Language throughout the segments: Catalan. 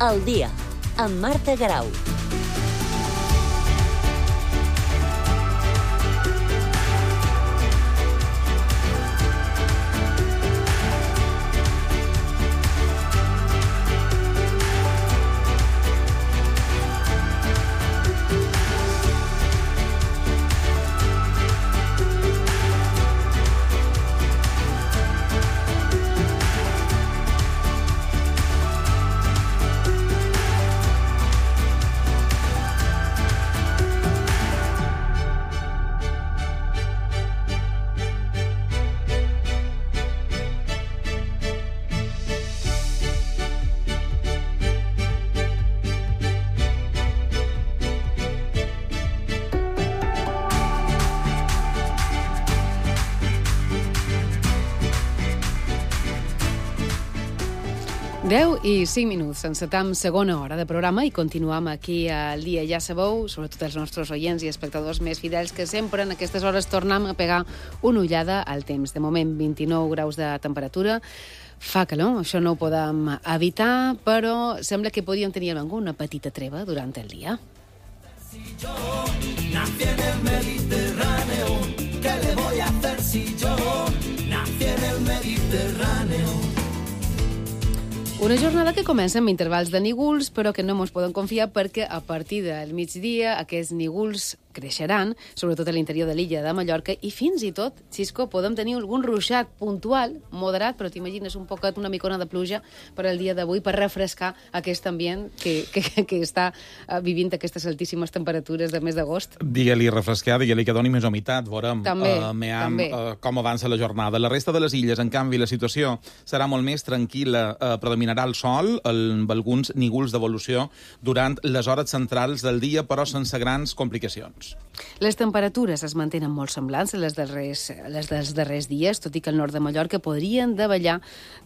Al dia, amb Marta Garau. I 5 minuts, encetam segona hora de programa i continuam aquí al dia. Ja sabeu, sobretot els nostres oients i espectadors més fidels, que sempre en aquestes hores tornem a pegar una ullada al temps. De moment, 29 graus de temperatura. Fa calor, això no ho podem evitar, però sembla que podíem tenir alguna petita treva durant el dia. Si yo nací en el Mediterráneo, ¿qué le voy a hacer si yo nací en el Mediterráneo? Una jornada que comença amb intervals de nígols, però que no ens podem confiar perquè a partir del migdia aquests nígols creixeran, sobretot a l'interior de l'illa de Mallorca, i fins i tot, Xisco, podem tenir algun ruixat puntual, moderat, però t'imagines un poquet, una micona de pluja per al dia d'avui, per refrescar aquest ambient que està vivint aquestes altíssimes temperatures de mes d'agost. Digue-li refrescar, digue-li que doni més humitat, veurem també. Com avança la jornada. La resta de les illes, en canvi, la situació serà molt més tranquil·la, predominarà el sol, amb alguns nígols d'evolució durant les hores centrals del dia, però sense grans complicacions. Les temperatures es mantenen molt semblants a les dels darrers dies, tot i que al nord de Mallorca podrien davallar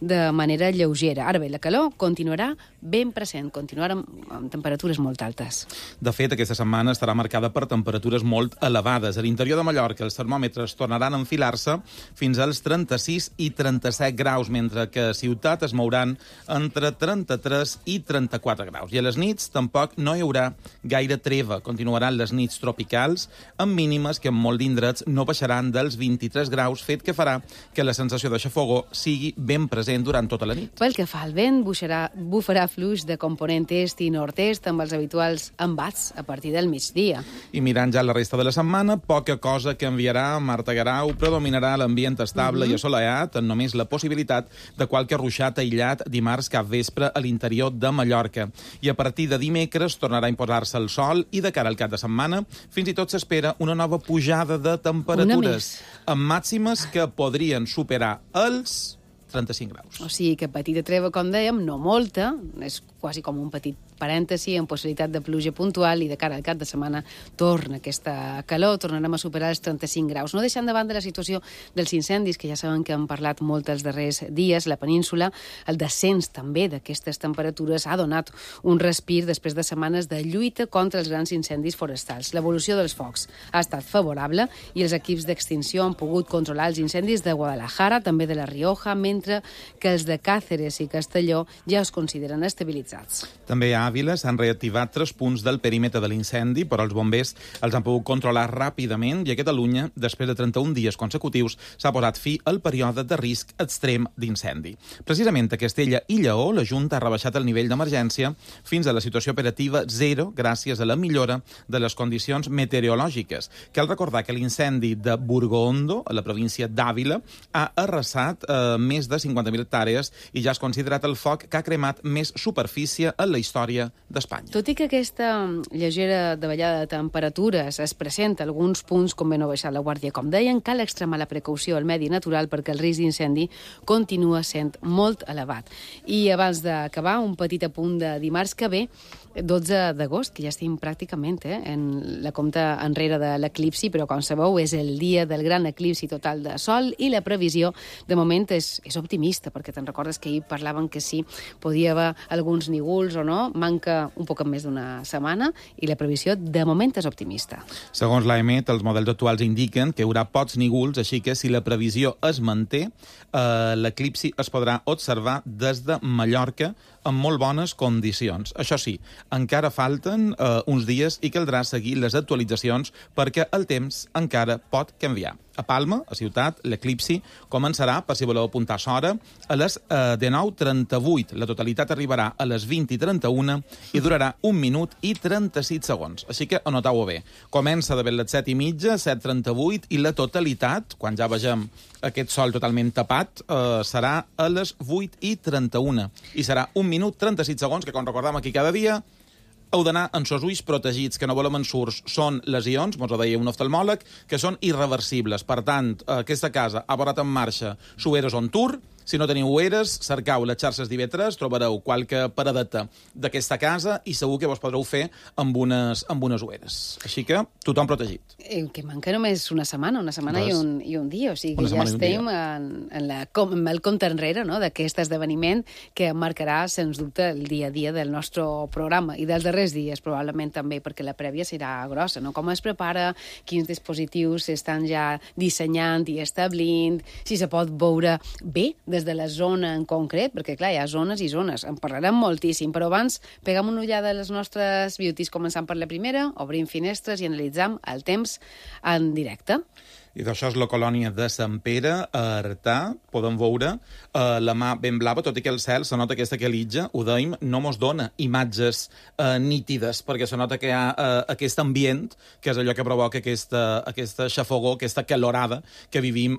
de manera lleugera. Ara bé, la calor continuarà ben present, continuarà amb temperatures molt altes. De fet, aquesta setmana estarà marcada per temperatures molt elevades. A l'interior de Mallorca els termòmetres tornaran a enfilar-se fins als 36 i 37 graus, mentre que a Ciutat es mouran entre 33 i 34 graus. I a les nits tampoc no hi haurà gaire treva. Continuaran les nits tropicals, amb mínimes que en molt d'indrets no baixaran dels 23 graus, fet que farà que la sensació de xafogor sigui ben present durant tota la nit. Pel que fa al vent, bufarà fluix de component est i nord-est amb els habituals embats a partir del migdia. I mirant ja la resta de la setmana, poca cosa canviarà. Marta Garau, predominarà l'ambient estable i assolellat, amb només la possibilitat de qualque ruixat aïllat dimarts cap vespre a l'interior de Mallorca. I a partir de dimecres tornarà a imposar-se el sol i de cara al cap de setmana fins i tot s'espera una nova pujada de temperatures, amb màximes que podrien superar els 35 graus. O sigui que petita treva, com dèiem, no molta, és quasi com un petit parèntesi amb possibilitat de pluja puntual i de cara al cap de setmana torna aquesta calor, tornarem a superar els 35 graus. No deixant de banda la situació dels incendis, que ja saben que hem parlat molt els darrers dies, la península, el descens també d'aquestes temperatures ha donat un respir després de setmanes de lluita contra els grans incendis forestals. L'evolució dels focs ha estat favorable i els equips d'extinció han pogut controlar els incendis de Guadalajara, també de la Rioja, mentre que els de Càceres i Castelló ja es consideren estabilitzats. També a Àvila s'han reactivat 3 punts del perímetre de l'incendi, però els bombers els han pogut controlar ràpidament i a Catalunya, després de 31 dies consecutius, s'ha posat fi al període de risc extrem d'incendi. Precisament a Castella i Lleó, la Junta ha rebaixat el nivell d'emergència fins a la situació operativa 0 gràcies a la millora de les condicions meteorològiques. Cal recordar que l'incendi de Burgondo, a la província d'Àvila, ha arrasat més de 50.000 hectàrees i ja és considerat el foc que ha cremat més superfície en la història d'Espanya. Tot i que aquesta lleugera davallada de temperatures es presenta a alguns punts, com ben no baixar la guàrdia, com deien, cal extremar la precaució al medi natural perquè el risc d'incendi continua sent molt elevat. I abans d'acabar, un petit apunt de dimarts que ve, 12 d'agost, que ja estem pràcticament en la compta enrere de l'eclipsi, però com sabeu és el dia del gran eclipsi total de Sol i la previsió de moment és optimista, perquè te'n recordes que ahir parlaven que sí, podia haver alguns nígols o no, manca un poc més d'una setmana i la previsió de moment és optimista. Segons l'AEMET, els models actuals indiquen que hi haurà pocs nígols, així que si la previsió es manté, l'eclipsi es podrà observar des de Mallorca en molt bones condicions. Això sí, encara falten uns dies i caldrà seguir les actualitzacions perquè el temps encara pot canviar. A Palma, a ciutat, l'eclipsi començarà, per si voleu apuntar l'hora, a les 19:38. La totalitat arribarà a les 20:31 i durarà 1 minut i 36 segons. Així que anotau-ho bé. Comença de ben les 7:30, 7:38, i la totalitat, quan ja vegem aquest sol totalment tapat, serà a les 8:31. I serà 1 minut 36 segons, que com recordam aquí cada dia, heu d'anar amb els ulls protegits, que no volem ensurts. Són lesions, mos ho deia un oftalmòleg, que són irreversibles. Per tant, aquesta casa ha posat en marxa Sueros on Tour. Si no teniu ueres, cercau les xarxes d'IV3, trobareu qualque paradeta d'aquesta casa i segur que vos podreu fer amb unes ueres. Així que tothom protegit. Que manca només una setmana i un dia. O sigui que ja estem en el compte enrere, no?, d'aquest esdeveniment que marcarà, sens dubte, el dia a dia del nostre programa i dels darrers dies, probablement també, perquè la prèvia serà grossa, no? Com es prepara, quins dispositius s'estan ja dissenyant i establint, si se pot veure bé des de la zona en concret, perquè, clar, hi ha zones i zones. En parlarem moltíssim, però abans pegam una ullada a les nostres beauties, començant per la primera, obrim finestres i analitzam el temps en directe. I d'això és la colònia de Sant Pere, a Artà. Podem veure la mà ben blava, tot i que el cel se nota aquesta quelitja, ho dèiem, no mos dona imatges nítides, perquè se nota que hi ha aquest ambient, que és allò que provoca aquesta xafogó, aquesta calorada que vivim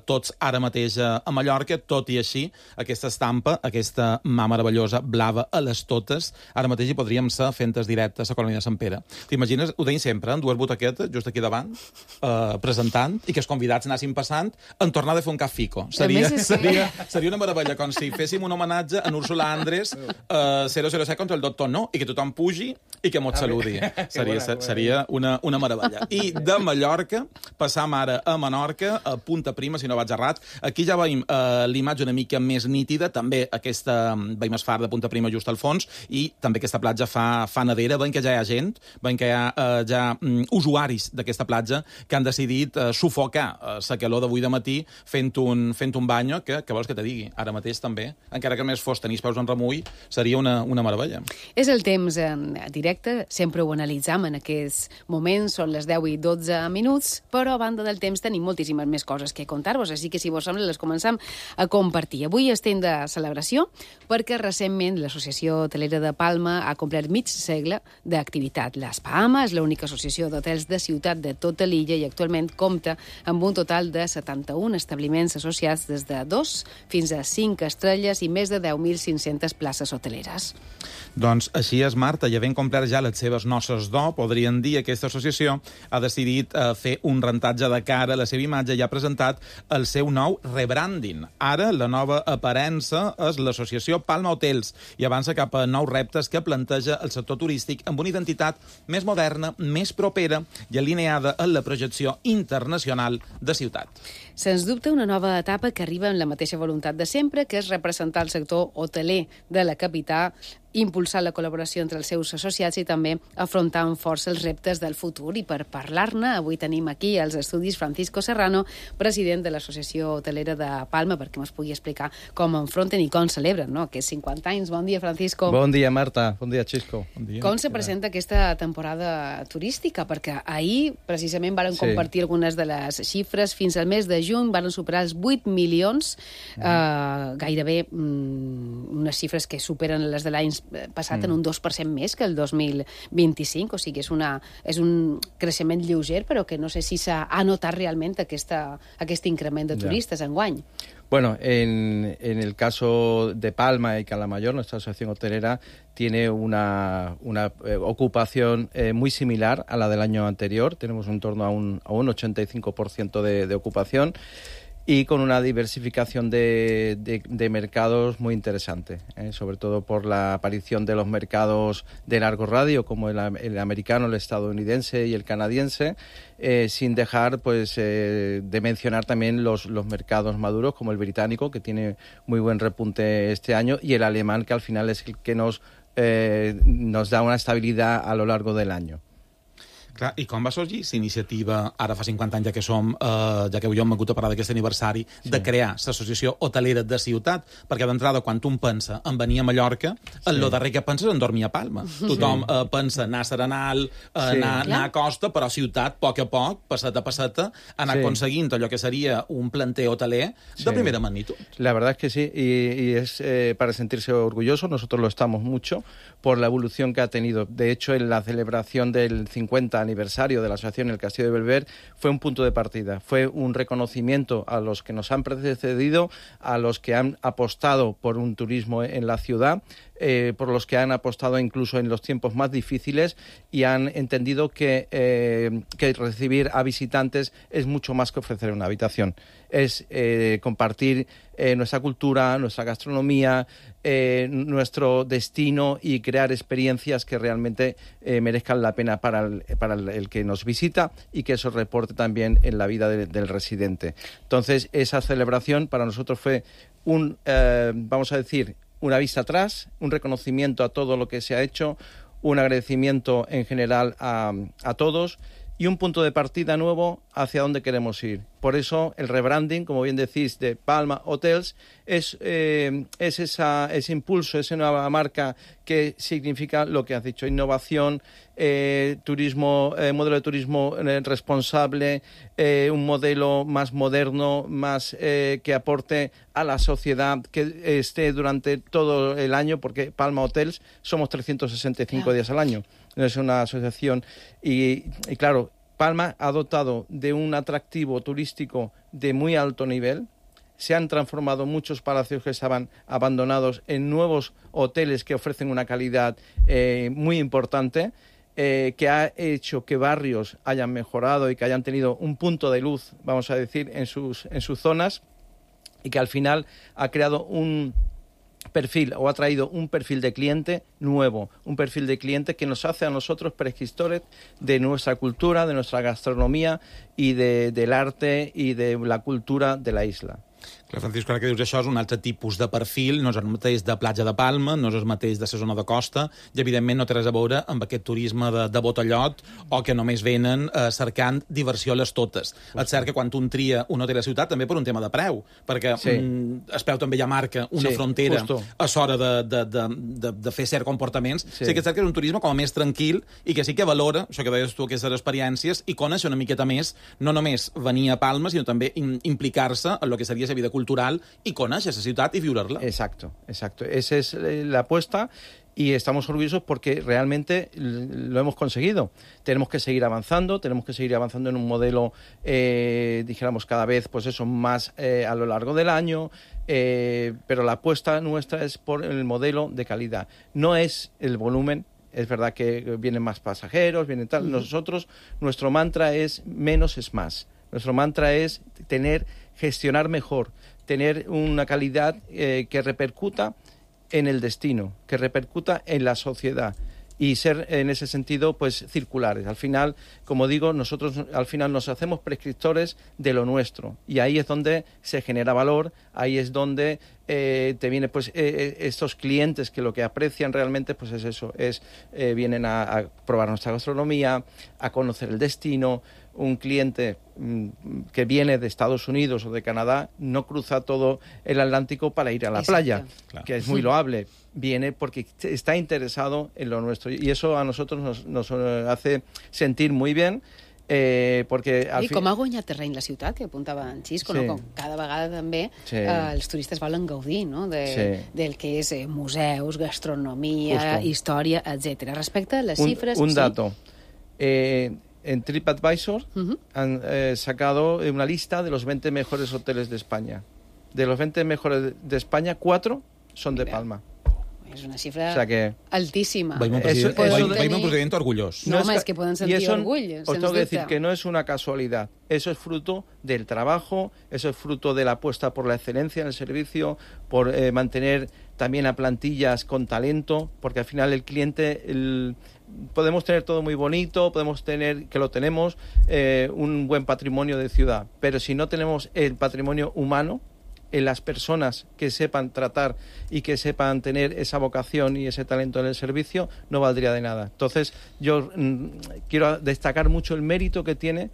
tots ara mateix a Mallorca. Tot i així, aquesta estampa, aquesta mà meravellosa, blava a les totes, ara mateix hi podríem ser fentes directes a la colònia de Sant Pere. T'imagines, ho deim sempre, en dues butaquetes, just aquí davant, presentant, i que els convidats anessin passant en tornar de fer un cafico. Seria una meravella, com si féssim un homenatge a Úrsula Andrés 007 contra el Doctor No, i que tothom pugi i que mos saludi. Seria una meravella. I de Mallorca passam ara a Menorca, a Punta Prima, si no vaig errat. Aquí ja veiem l'imatge una mica més nítida, també veiem el far de Punta Prima just al fons, i també aquesta platja fa nedera. Veiem que ja hi ha gent, veiem que hi ha ja usuaris d'aquesta platja que han decidit sufocar la calor d'avui de matí fent un banyo, que vols que te digui? Ara mateix també, encara que més fos tenir els peus en remull, seria una meravella. És el temps en directe, sempre ho analitzam en aquests moments, són les 10 i 12 minuts, però a banda del temps tenim moltíssimes més coses que contar-vos, així que si vos sembla les començam a compartir. Avui estem de celebració perquè recentment l'Associació Hotelera de Palma ha complert mig segle d'activitat. L'Espama és l'única associació d'hotels de ciutat de tota l'illa i actualment compta amb un total de 71 establiments associats des de 2 fins a 5 estrelles i més de 10.500 places hoteleres. Doncs així és, Marta, i havent complert ja les seves noces d'or, podríem dir, aquesta associació ha decidit fer un rentatge de cara a la seva imatge i ha presentat el seu nou rebranding. Ara la nova aparença és l'associació Palma Hotels i avança cap a nous reptes que planteja el sector turístic amb una identitat més moderna, més propera i alineada en la projecció internacional de ciutat. Sens dubte, una nova etapa que arriba amb la mateixa voluntat de sempre, que és representar el sector hoteler de la capital, impulsar la col·laboració entre els seus associats i també afrontar amb força els reptes del futur. I per parlar-ne, avui tenim aquí als estudis Francisco Serrano, president de l'Associació Hotelera de Palma, perquè ens pugui explicar com enfronten i com celebren, no?, aquests 50 anys. Bon dia, Francisco. Bon dia, Marta. Bon dia, Xisco. Bon dia. Com se presenta aquesta temporada turística? Perquè ahir, precisament, varen compartir algunes de les xifres. Fins al mes de juny varen superar els 8 milions, gairebé unes xifres que superen les de l'any passat en un 2% més que el 2025, o sigui, és un creixement lleuger, però que no sé si s'ha notat realment aquest increment de turistes enguany. Bueno, en el caso de Palma y Calamayor, nuestra asociación hotelera tiene una ocupación muy similar a la del año anterior. Tenemos en torno a un 85% de ocupación y con una diversificación de mercados muy interesante, sobre todo por la aparición de los mercados de largo radio, como el americano, el estadounidense y el canadiense, sin dejar de mencionar también los mercados maduros, como el británico, que tiene muy buen repunte este año, y el alemán, que al final es el que nos da una estabilidad a lo largo del año. Clar, i com va sorgir aquesta iniciativa, ara fa 50 anys ja que som, ja que jo hem hagut de parlar d'aquest aniversari, de crear l'associació hotelera de ciutat? Perquè d'entrada, quan tu pensa en venir a Mallorca, el darrer que penses en dormir a Palma. Tothom pensa anar a Serenal, anar a Costa, però ciutat, a poc, passeta a passeta, anar aconseguint allò que seria un planter hoteler de primera magnitud. La verdad es que sí, y es para sentirse orgulloso. Nosotros lo estamos mucho por la evolución que ha tenido. De hecho, en la celebración del 50 aniversario de la asociación El Castillo de Belver fue un punto de partida, fue un reconocimiento a los que nos han precedido, a los que han apostado por un turismo en la ciudad, por los que han apostado incluso en los tiempos más difíciles y han entendido que recibir a visitantes es mucho más que ofrecer una habitación. Es compartir nuestra cultura, nuestra gastronomía, nuestro destino y crear experiencias que realmente merezcan la pena para el que nos visita y que eso reporte también en la vida del residente. Entonces, esa celebración para nosotros fue vamos a decir, una vista atrás, un reconocimiento a todo lo que se ha hecho, un agradecimiento en general a todos y un punto de partida nuevo hacia dónde queremos ir. Por eso el rebranding, como bien decís, de Palma Hotels es ese impulso, esa nueva marca que significa lo que has dicho, innovación, turismo, modelo de turismo responsable, un modelo más moderno, más que aporte a la sociedad, que esté durante todo el año, porque Palma Hotels somos 365 días al año. Es una asociación y claro, Palma ha dotado de un atractivo turístico de muy alto nivel. Se han transformado muchos palacios que estaban abandonados en nuevos hoteles que ofrecen una calidad muy importante, que ha hecho que barrios hayan mejorado y que hayan tenido un punto de luz, vamos a decir, en sus zonas, y que al final ha creado un perfil o ha traído un perfil de cliente nuevo, un perfil de cliente que nos hace a nosotros prescriptores de nuestra cultura, de nuestra gastronomía y del arte y de la cultura de la isla. Clar, Francisco, ara que dius això, és un altre tipus de perfil, no és el mateix de platja de Palma, no és el mateix de la zona de costa, i evidentment no té res a veure amb aquest turisme de botellot o que només venen cercant diversió a les totes. És cert que quan un tria un hotel a la ciutat, també per un tema de preu, perquè es preu també ja marca una frontera a l'hora de fer certs comportaments. Sí que és cert que és un turisme com a més tranquil i que sí que valora, això que deies tu, aquestes experiències, i conèixer una miqueta més, no només venir a Palma, sinó també implicar-se en el que seria la vida cultural y conocer esa ciudad y vivirla. Exacto. Esa es la apuesta y estamos orgullosos porque realmente lo hemos conseguido. Tenemos que seguir avanzando en un modelo, dijéramos, cada vez pues eso, más a lo largo del año, pero la apuesta nuestra es por el modelo de calidad. No es el volumen. Es verdad que vienen más pasajeros, vienen tal. Nosotros, nuestro mantra es menos es más. Nuestro mantra es gestionar mejor, tener una calidad que repercuta en el destino, que repercuta en la sociedad y ser en ese sentido pues circulares. Al final, como digo, nosotros al final nos hacemos prescriptores de lo nuestro y ahí es donde se genera valor, ahí es donde te vienen pues estos clientes que lo que aprecian realmente pues es eso, vienen a probar nuestra gastronomía, a conocer el destino. Un cliente que viene de Estados Unidos o de Canadá no cruza todo el Atlántico para ir a la playa, que es muy loable. Viene porque está interesado en lo nuestro y eso a nosotros nos hace sentir muy bien. Perquè I com ha guanyat terreny la ciutat, que apuntava en Xisco, no? Com cada vegada també els turistes volen gaudir del que és museus, gastronomia, història, etc. Respecte a les xifres... Un dato. En TripAdvisor han sacado una lista de los 20 mejores hoteles de España. De los 20 mejores de España, 4 son de Palma. És una xifra altísima. Veiem un president orgullós. No, es que poden sentir orgull. Os tengo que decir que no es una casualidad. Eso es fruto del trabajo, eso es fruto de la apuesta por la excelencia en el servicio, por mantener también a plantillas con talento, porque al final el cliente... podemos tener todo muy bonito, podemos tener, que lo tenemos, un buen patrimonio de ciudad, pero si no tenemos el patrimonio humano, en las personas que sepan tratar y que sepan tener esa vocación y ese talento en el servicio, no valdría de nada. Entonces, yo quiero destacar mucho el mérito que tiene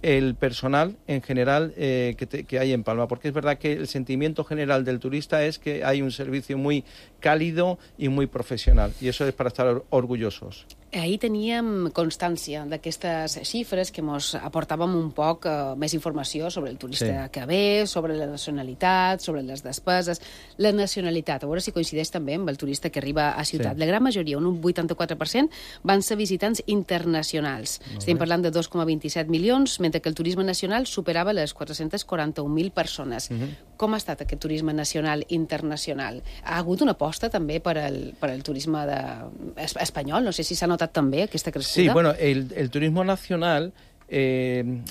el personal en general que hay en Palma, porque es verdad que el sentimiento general del turista es que hay un servicio muy cálido y muy professional, i això és per estar orgullosos. Ahir teníem constància d'aquestes xifres que ens aportàvem un poc més informació sobre el turista que ve, sobre la nacionalitat, sobre les despeses. La nacionalitat, a veure si coincideix també amb el turista que arriba a ciutat. La gran majoria, un 84%, van ser visitants internacionals. Estem parlant de 2,27 milions, mentre que el turisme nacional superava les 441.000 persones. Com ha estat aquest turisme nacional internacional? Ha hagut una aposta també per al turisme espanyol? No sé si s'ha notat també aquesta crescuda. Sí, bueno, el turismo nacional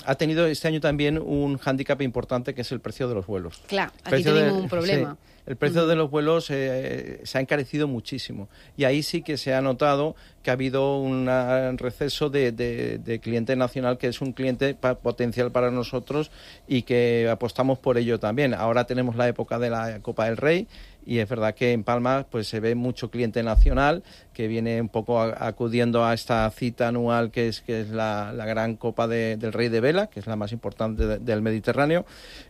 ha tenido este año también un hándicap importante, que es el precio de los vuelos. Claro, aquí tenemos un problema. Sí, el precio de los vuelos se ha encarecido muchísimo, y ahí sí que se ha notado que ha habido un receso de cliente nacional, que es un cliente potencial para nosotros y que apostamos por ello también. Ahora tenemos la época de la Copa del Rey, y es verdad que en Palma pues se ve mucho cliente nacional que viene un poco acudiendo a esta cita anual que es la gran Copa del Rey de Vela, que es la más importante del Mediterráneo,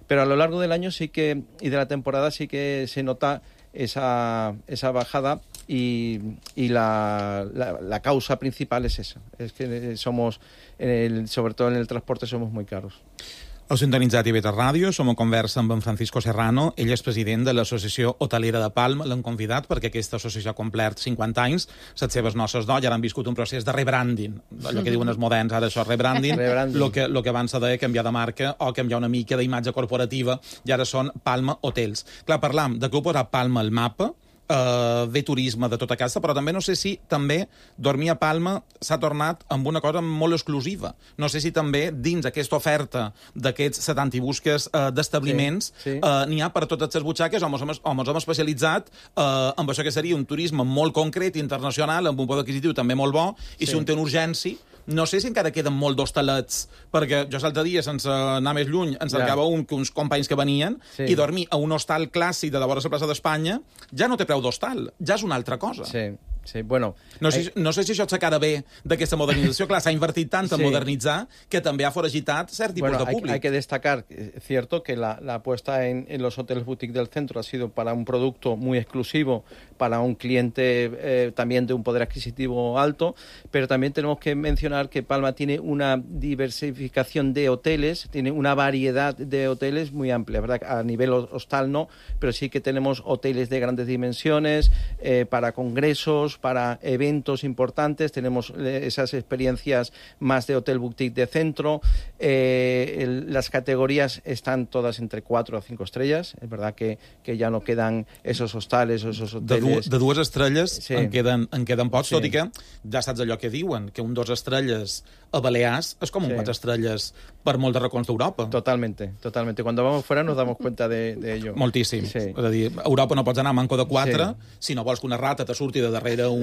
pero a lo largo del año sí que, y de la temporada, sí que se nota esa bajada, y la causa principal es esa, es que somos, sobre todo en el transporte, somos muy caros. Heu sintonitzat IB3 Ràdio, som a conversa amb en Francisco Serrano, ell és president de l'Associació Hotelera de Palma, l'hem convidat perquè aquesta associació ha complert 50 anys, les seves noces d'or, i ara han viscut un procés de rebranding, allò que diuen els moderns, ara això és rebranding, el que abans se deia canviar de marca o canviar una mica d'imatge corporativa, i ara són Palma Hotels. Clar, parlam de que heu posat Palma al mapa, de turisme de tota casa, però també no sé si també dormir a Palma s'ha tornat amb una cosa molt exclusiva. No sé si també dins aquesta oferta d'aquests 70 i busques d'establiments n'hi ha per totes les butxaques, o ens hem especialitzat amb això que seria un turisme molt concret, internacional, amb un poder adquisitiu també molt bo, i si un té una urgència, no sé si encara queden molt d'hostalets, perquè jo l'altre dia, sense anar més lluny, ens cercava uns companys que venien, i dormir a un hostal clàssic de vora la plaça d'Espanya ja no té preu d'hostal, ja és una altra cosa. Sí, bueno... No sé si això s'acara bé d'aquesta modernització. Clar, s'ha invertit tant en modernitzar que també ha foragitat cert tipus de públic. Hay que destacar, es cierto, que la apuesta en los hoteles boutique del centro ha sido para un producto muy exclusivo, para un cliente también de un poder adquisitivo alto, pero también tenemos que mencionar que Palma tiene una diversificación de hoteles, tiene una variedad de hoteles muy amplia, ¿verdad? A nivel hostal no, pero sí que tenemos hoteles de grandes dimensiones, para congresos, para eventos importantes, tenemos esas experiencias más de hotel boutique de centro, las categorías están todas entre 4 o 5 estrellas, es verdad que ya no quedan esos hostales o esos hoteles... De 2 estrelles en queden pocs, tot i que ja saps allò que diuen, que un 2 estrelles a Balears és com un 4 estrelles per molt de racons d'Europa. Totalmente. Cuando vamos fuera nos damos cuenta de ello. Moltíssim. És a dir, a Europa no pots anar a manco de 4 si no vols que una rata te surti de darrere un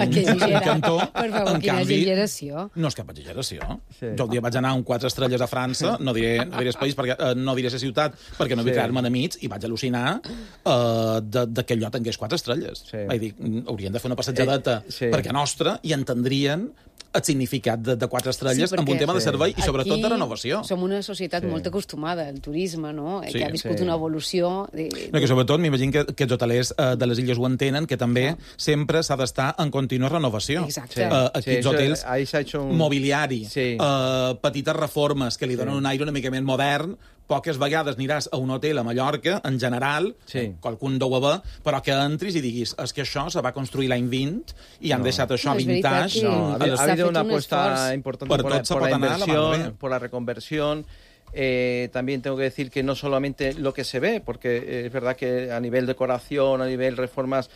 cantó. Per favor, quina exageració. No és cap exageració. Jo un dia vaig anar a un 4 estrelles a França, no diré el país, no diré la ciutat, perquè no vull crear-me enemics, i vaig al·lucinar que allò tingués 4 estrelles. Vaig dir, haurien de fer una passejadeta perquè nostra i entendrien el significat de 4 estrelles amb un tema de servei i sobretot de renovació. Som una societat molt acostumada al turisme, no? Que ha viscut una evolució... No, que sobretot m'imagino que els hotelers de les illes ho entenen, que també sempre s'ha d'estar en contínua renovació. Exacte. Aquests hotels, mobiliari, petites reformes que li donen un aire una mica més modern. Poques vegades aniràs a un hotel a Mallorca, en general, qualcun deu haver, però que entris i diguis, és que això se va construir l'any 20 i han deixat això vintage. Ha habido una apuesta importante por la reconversión. También tengo que decir que no solamente lo que se ve, porque es verdad que a nivel decoración, a nivel reformas,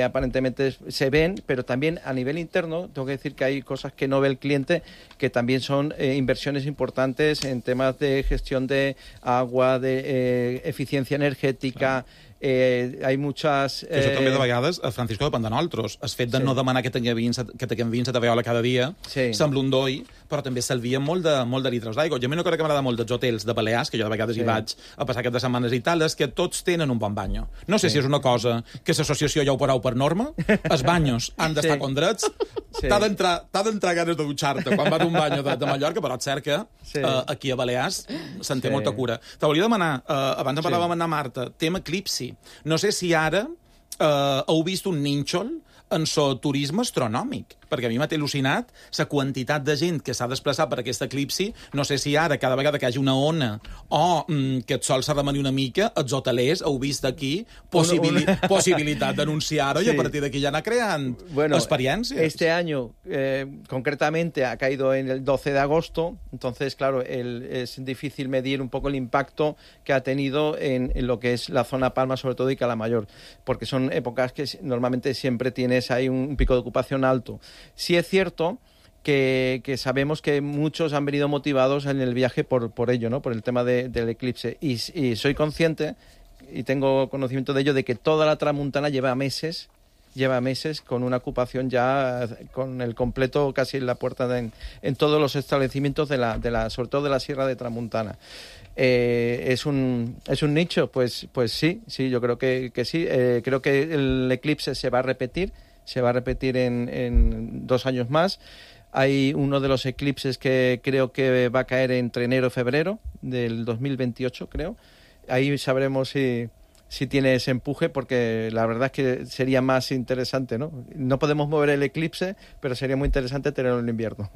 aparentemente se ven, pero también a nivel interno tengo que decir que hay cosas que no ve el cliente, que también son inversiones importantes en temas de gestión de agua, de eficiencia energética, Hay muchas... Que això també de vegades, Francisco, depèn de nosaltres. El fet de no demanar que tinguem 20 de veola cada dia sembla un doi, però també s'alvia molt de litres d'aigua. Jo a mi una cosa que m'agrada molt dels hotels de Balears, que jo de vegades hi vaig a passar aquestes setmanes i tal, és que tots tenen un bon banyo. No sé si és una cosa que l'associació ja ho parau per norma, els banyos han d'estar com drets, t'ha d'entrar ganes de dutxar-te quan vas a un banyo de Mallorca, però és cert que aquí a Balears se'n té molta cura. Te volia demanar, abans en parlàvem amb Marta, tema eclipsi. No sé si ara heu vist un nínxol en el turisme astronòmic, perquè a mi m'ha al·lucinat la quantitat de gent que s'ha desplaçat per aquest eclipsi. No sé si ara, cada vegada que hi hagi una ona o que el sol s'ha de venir una mica, els hotelers heu vist aquí possibilitat d'anunciar-ho y a partir d'aquí ja anar creant experiencias. Este año, concretamente, ha caído en el 12 de agosto, entonces, claro, es difícil medir un poco el impacto que ha tenido en lo que es la zona Palma, sobre todo, y Calamayor, porque son épocas que normalmente siempre tienes ahí un pico de ocupación alto. Sí es cierto que sabemos que muchos han venido motivados en el viaje por ello, ¿no? Por el tema del eclipse. Y soy consciente, y tengo conocimiento de ello, de que toda la Tramuntana lleva meses con una ocupación ya con el completo casi en la puerta en todos los establecimientos sobre todo de la Sierra de Tramuntana. ¿Es un nicho? Pues sí, yo creo que sí. Creo que el eclipse se va a repetir en 2 años más. Hay uno de los eclipses que creo que va a caer entre enero y febrero del 2028, creo. Ahí sabremos si tiene ese empuje, porque la verdad es que sería más interesante, ¿no? No podemos mover el eclipse, però seria molt interessant tenerlo en l'hivern.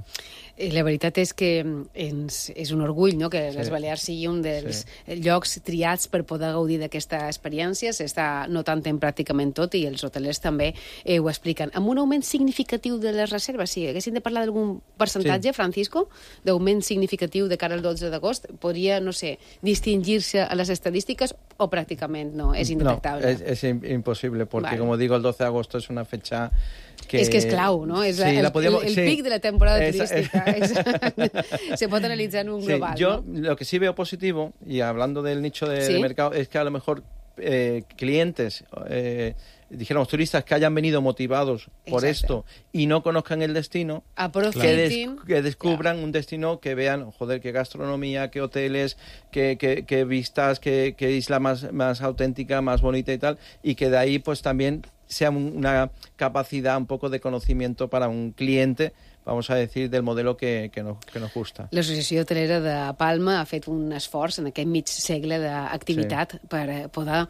La veritat és que és un orgull, no?, que les Balears sigui un dels llocs triats per poder gaudir d'aquesta experiència. S'està notant en pràcticament tot i els hotelers també ho expliquen. Amb un augment significatiu de les reserves, si haguéssim de parlar d'algun percentatge, Francisco, d'augment significatiu de cara al 12 d'agost, podria, no sé, distingir-se a les estadístiques o pràcticament no? Es indetectable. No, es imposible, porque como digo, el 12 de agosto es una fecha que... Es que es clau, ¿no? Es el pic de la temporada turística. Se puede analizar en un global. Yo ¿no? Lo que sí veo positivo, y hablando del nicho de mercado, es que a lo mejor clientes... dijéramos, turistas que hayan venido motivados por esto y no conozcan el destino, que descubran un destino, que vean, joder, qué gastronomía, qué hoteles, qué vistas, qué isla más auténtica, más bonita y tal, y que de ahí pues también sea una capacidad un poco de conocimiento para un cliente, vamos a decir, del modelo que nos gusta. L'Associació Hotelera de Palma ha fet un esforç en aquest mig segle d'activitat per poder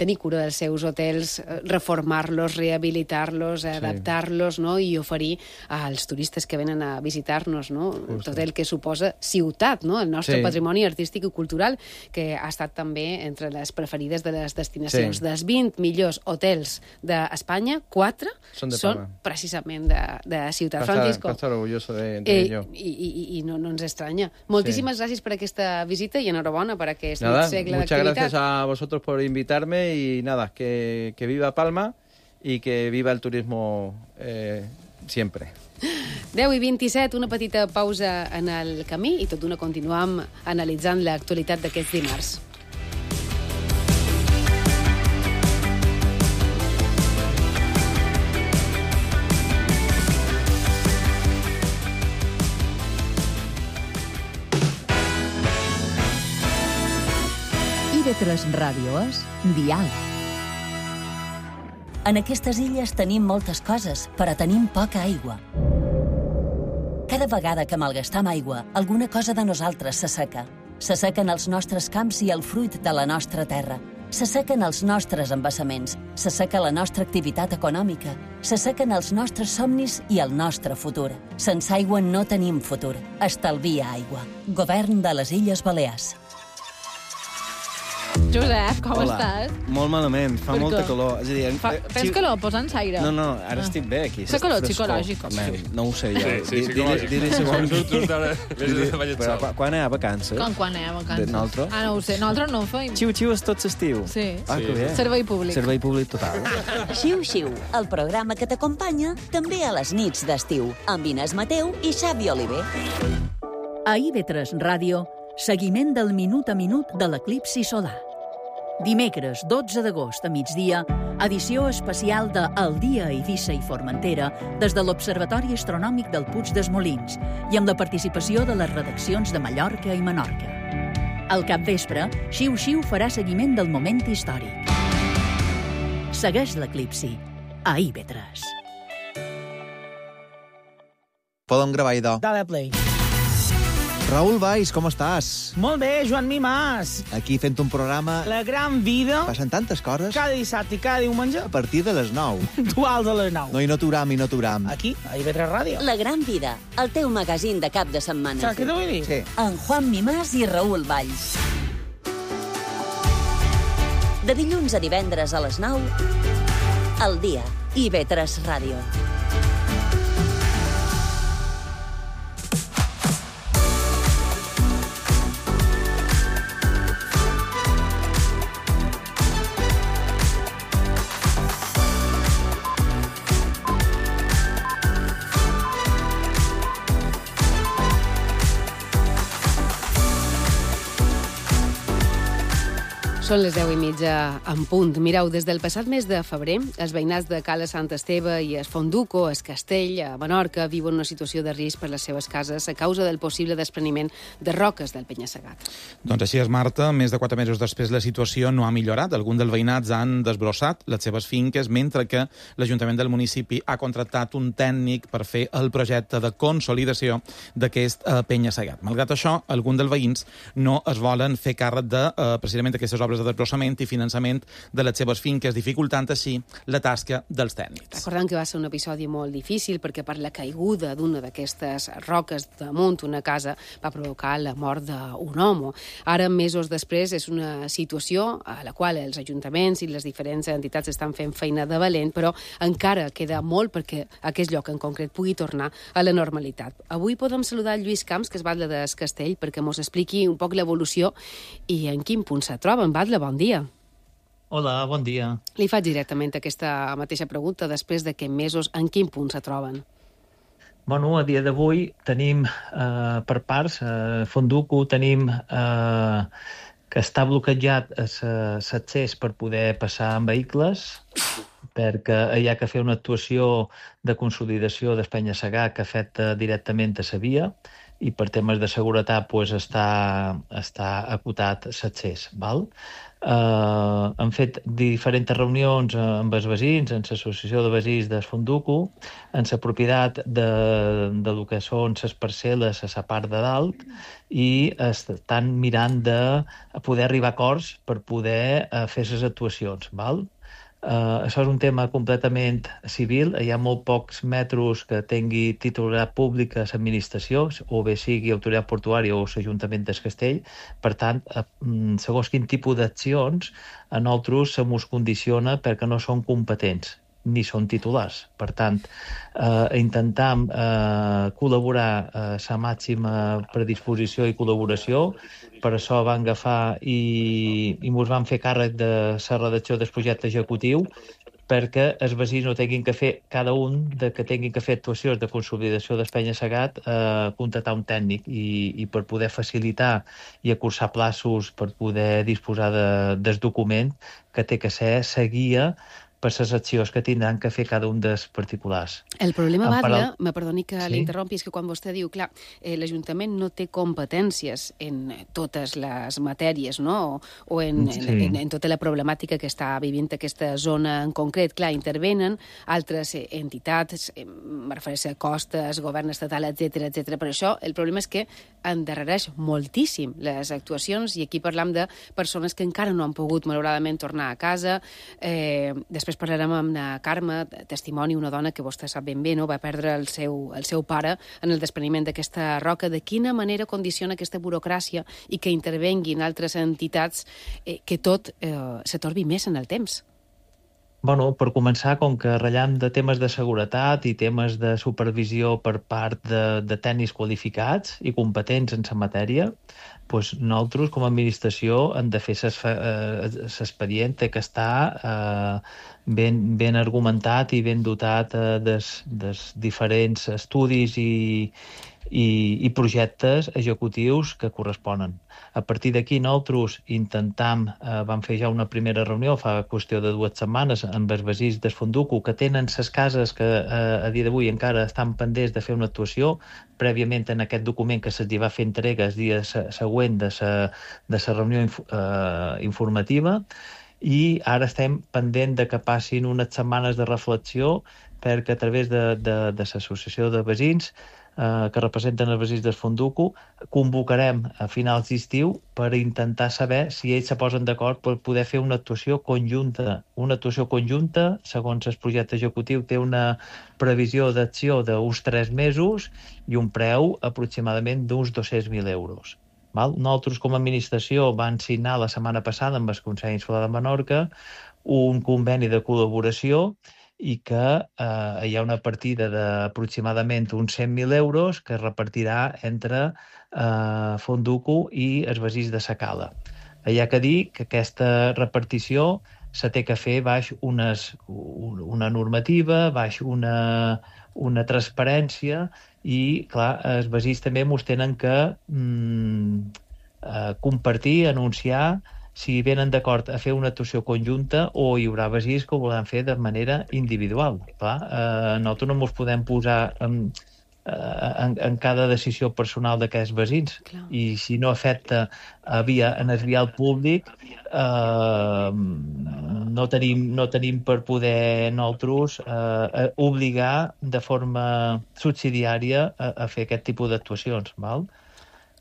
tenir cura dels seus hotels, reformar-los, rehabilitar-los, adaptar-los, no?, i oferir als turistes que venen a visitar-nos, no?, tot el que suposa ciutat, no?, el nostre patrimoni artístic i cultural, que ha estat també entre les preferides de les destinacions. Dels 20 millors hotels d'Espanya, 4 són precisament de ciutat. Francisco, estar orgulloso de ello. Y no ens estranya. Moltíssimes gràcies per aquesta visita i enhorabona per aquest segle d'activitat. Muchas gracias a vosotros por invitarme y nada, que viva Palma y que viva el turismo siempre. 10:27, una petita pausa en el camí i tot d'una continuam analitzant l'actualitat d'aquests dimarts. IB3 Ràdio és Diàleg. En aquestes illes tenim moltes coses, però tenim poca aigua. Cada vegada que malgastam aigua, alguna cosa de nosaltres s'asseca. S'assequen els nostres camps i el fruit de la nostra terra. S'assequen els nostres embassaments, s'asseca la nostra activitat econòmica, s'assequen els nostres somnis i el nostre futur. Sense aigua no tenim futur. Estalvia aigua. Govern de les Illes Balears. Josep, com estàs? Molt malament, fa molta calor. És a dir, tens calor? Posa'ns aire. No, ara estic bé aquí. Fa calor psicològic. No ho sé jo. Sí, Dir-li però quan hi ha vacances? Quan hi ha vacances? Nosaltres? No ho sé, nosaltres no ho feim. Xiu-xiu és tot l'estiu. Sí. Que bé. Servei públic. Servei públic total. Xiu-xiu, el programa que t'acompanya també a les nits d'estiu, amb Inés Mateu i Xavi Oliver. A IB3 Ràdio, seguiment del minut a minut de l'eclipsi solar. Dimecres 12 d'agost a migdia, edició especial de El dia a Eivissa i Formentera des de l'Observatori Astronòmic del Puig dels Molins i amb la participació de les redaccions de Mallorca i Menorca. Al capvespre, Xiu Xiu farà seguiment del moment històric. Segueix l'eclipsi a IB3. Podem gravar, idò. Dale play. Raül Valls, com estàs? Molt bé, Joan Mimàs. Aquí fent un programa... La gran vida. Passen tantes coses. Cada dissabte i cada diumenge. A partir de les 9. Duals a les 9. No, i no t'uram. Aquí, a IB3 Ràdio. La gran vida, el teu magazín de cap de setmana. Saps què t'ho vull dir? Sí. En Juan Mimàs i Raül Valls. De dilluns a divendres a les 9, al dia, IB3 Ràdio. Són les 10:30 en punt. Mireu, des del passat mes de febrer, els veïnats de Cala Sant Esteve i es Fonduco, es Castell, a Menorca, viuen una situació de risc per les seves cases a causa del possible despreniment de roques del penya-segat. Doncs així és, Marta. Més de 4 mesos després la situació no ha millorat. Alguns dels veïnats han desbrossat les seves finques, mentre que l'Ajuntament del municipi ha contractat un tècnic per fer el projecte de consolidació d'aquest penya-segat. Malgrat això, alguns dels veïns no es volen fer càrrec de precisament aquestes obres de desbrossament i finançament de les seves finques, dificultant així la tasca dels tècnics. Recordem que va ser un episodi molt difícil perquè per la caiguda d'una d'aquestes roques damunt una casa va provocar la mort d'un home. Ara, mesos després, és una situació a la qual els ajuntaments i les diferents entitats estan fent feina de valent, però encara queda molt perquè aquest lloc en concret pugui tornar a la normalitat. Avui podem saludar el Lluís Camps, que és batlle de Castell, perquè ens expliqui un poc l'evolució i en quin punt se troben. Batlle, bon dia. Hola, bon dia. Li faig directament aquesta mateixa pregunta després de que mesos en quin punt se troben. Bueno, a dia d'avui tenim per parts, Fonduco tenim que està bloquejat l'accés per poder passar amb vehicles, perquè hi ha que fer una actuació de consolidació del penya-segat que afecta directament a la via i per temes de seguretat pues, està acotat l'accés. Hem fet diferents reunions amb els veïns, amb l'associació de veïns del Fonduco, en la propietat de lo que són les parcel·les a la part de dalt i estan mirant de poder arribar a acords per poder fer les actuacions. Això és un tema completament civil. Hi ha molt pocs metros que tingui titularitat pública l'administració, o bé sigui autoritat portuària o l'Ajuntament del Castell. Per tant, segons quin tipus d'accions, a nosaltres se mos condiciona perquè no són competents ni són titulars. Per tant, intentam col·laborar a la màxima predisposició i col·laboració. Per això van agafar i ens van fer càrrec de la redacció del projecte executiu perquè els veïns no tinguin que fer, cada un que tinguin que fer actuacions de consolidació del penya-segat, contractar un tècnic i per poder facilitar i acurçar plaços per poder disposar del document que té que ser la guia per les accions que tindran que fer cada un dels particulars. El problema, batlle, me perdoni que l'interrompi, és que quan vostè diu, clar, l'Ajuntament no té competències en totes les matèries, no? o en tota la problemàtica que està vivint aquesta zona en concret. Clar, intervenen altres entitats, me refereixo a costes, govern estatal, etc. Per això el problema és que endarrereix moltíssim les actuacions i aquí parlam de persones que encara no han pogut, malauradament, tornar a casa. Després parlarem amb la Carme, testimoni, una dona que vostè sap ben bé, no? Va perdre el seu pare en el despreniment d'aquesta roca. De quina manera condiciona aquesta burocràcia i que intervenguin altres entitats que tot s'atorbi més en el temps? Bueno, per començar, com que ratllam de temes de seguretat i temes de supervisió per part de tècnics qualificats i competents en la matèria, doncs nosaltres, com a administració, hem de fer l'expedient que està ben argumentat i ben dotat dels diferents estudis i projectes executius que corresponen. A partir d'aquí nosaltres vam fer ja una primera reunió fa qüestió de 2 setmanes amb els veïns del Fonduco que tenen les cases que a dia d'avui encara estan pendents de fer una actuació prèviament en aquest document que se'ls va fer entrega el dia següent de la reunió informativa, i ara estem pendent de que passin unes setmanes de reflexió perquè a través de l'associació de veïns que representen els veïns del Fonduco convocarem a finals d'estiu per intentar saber si ells se posen d'acord per poder fer una actuació conjunta. Una actuació conjunta, segons el projecte executiu, té una previsió d'acció d'uns 3 mesos i un preu aproximadament d'uns 200.000 euros. Nosaltres, com a administració, vam signar la setmana passada amb el Consell Insular de Menorca un conveni de col·laboració i que hi ha una partida d'aproximadament uns 100.000 euros que es repartirà entre Fonduco i els veïns de sa Cala. Hi ha que dir que aquesta repartició se té que fer baix una normativa, baix una transparència i, clar, els veïns també mos tenen que compartir, anunciar si venen d'acord a fer una actuació conjunta o hi haurà veïns que ho volen fer de manera individual. Nosaltres no ens podem posar en cada decisió personal d'aquests veïns i si no afecta en el vial públic no tenim per poder nosaltres obligar de forma subsidiària a fer aquest tipus d'actuacions, val?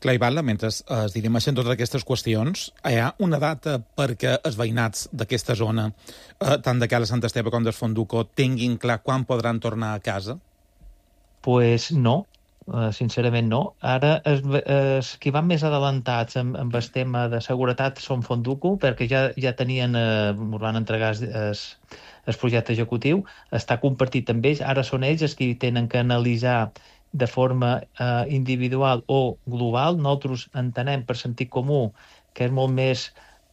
Clar, Ivan, mentre es dirimeixen totes aquestes qüestions, hi ha una data perquè els veïnats d'aquesta zona, tant de Cala Sant Esteve com del Fonduco, tinguin clar quan podran tornar a casa? Pues no, sincerament no. Ara, els que van més adelantats amb el tema de seguretat són Fonduco, perquè ja tenien, ens van entregar el projecte executiu, està compartit amb ells, ara són ells els que tenen que analitzar de forma individual o global. Nosaltres entenem per sentit comú que és molt més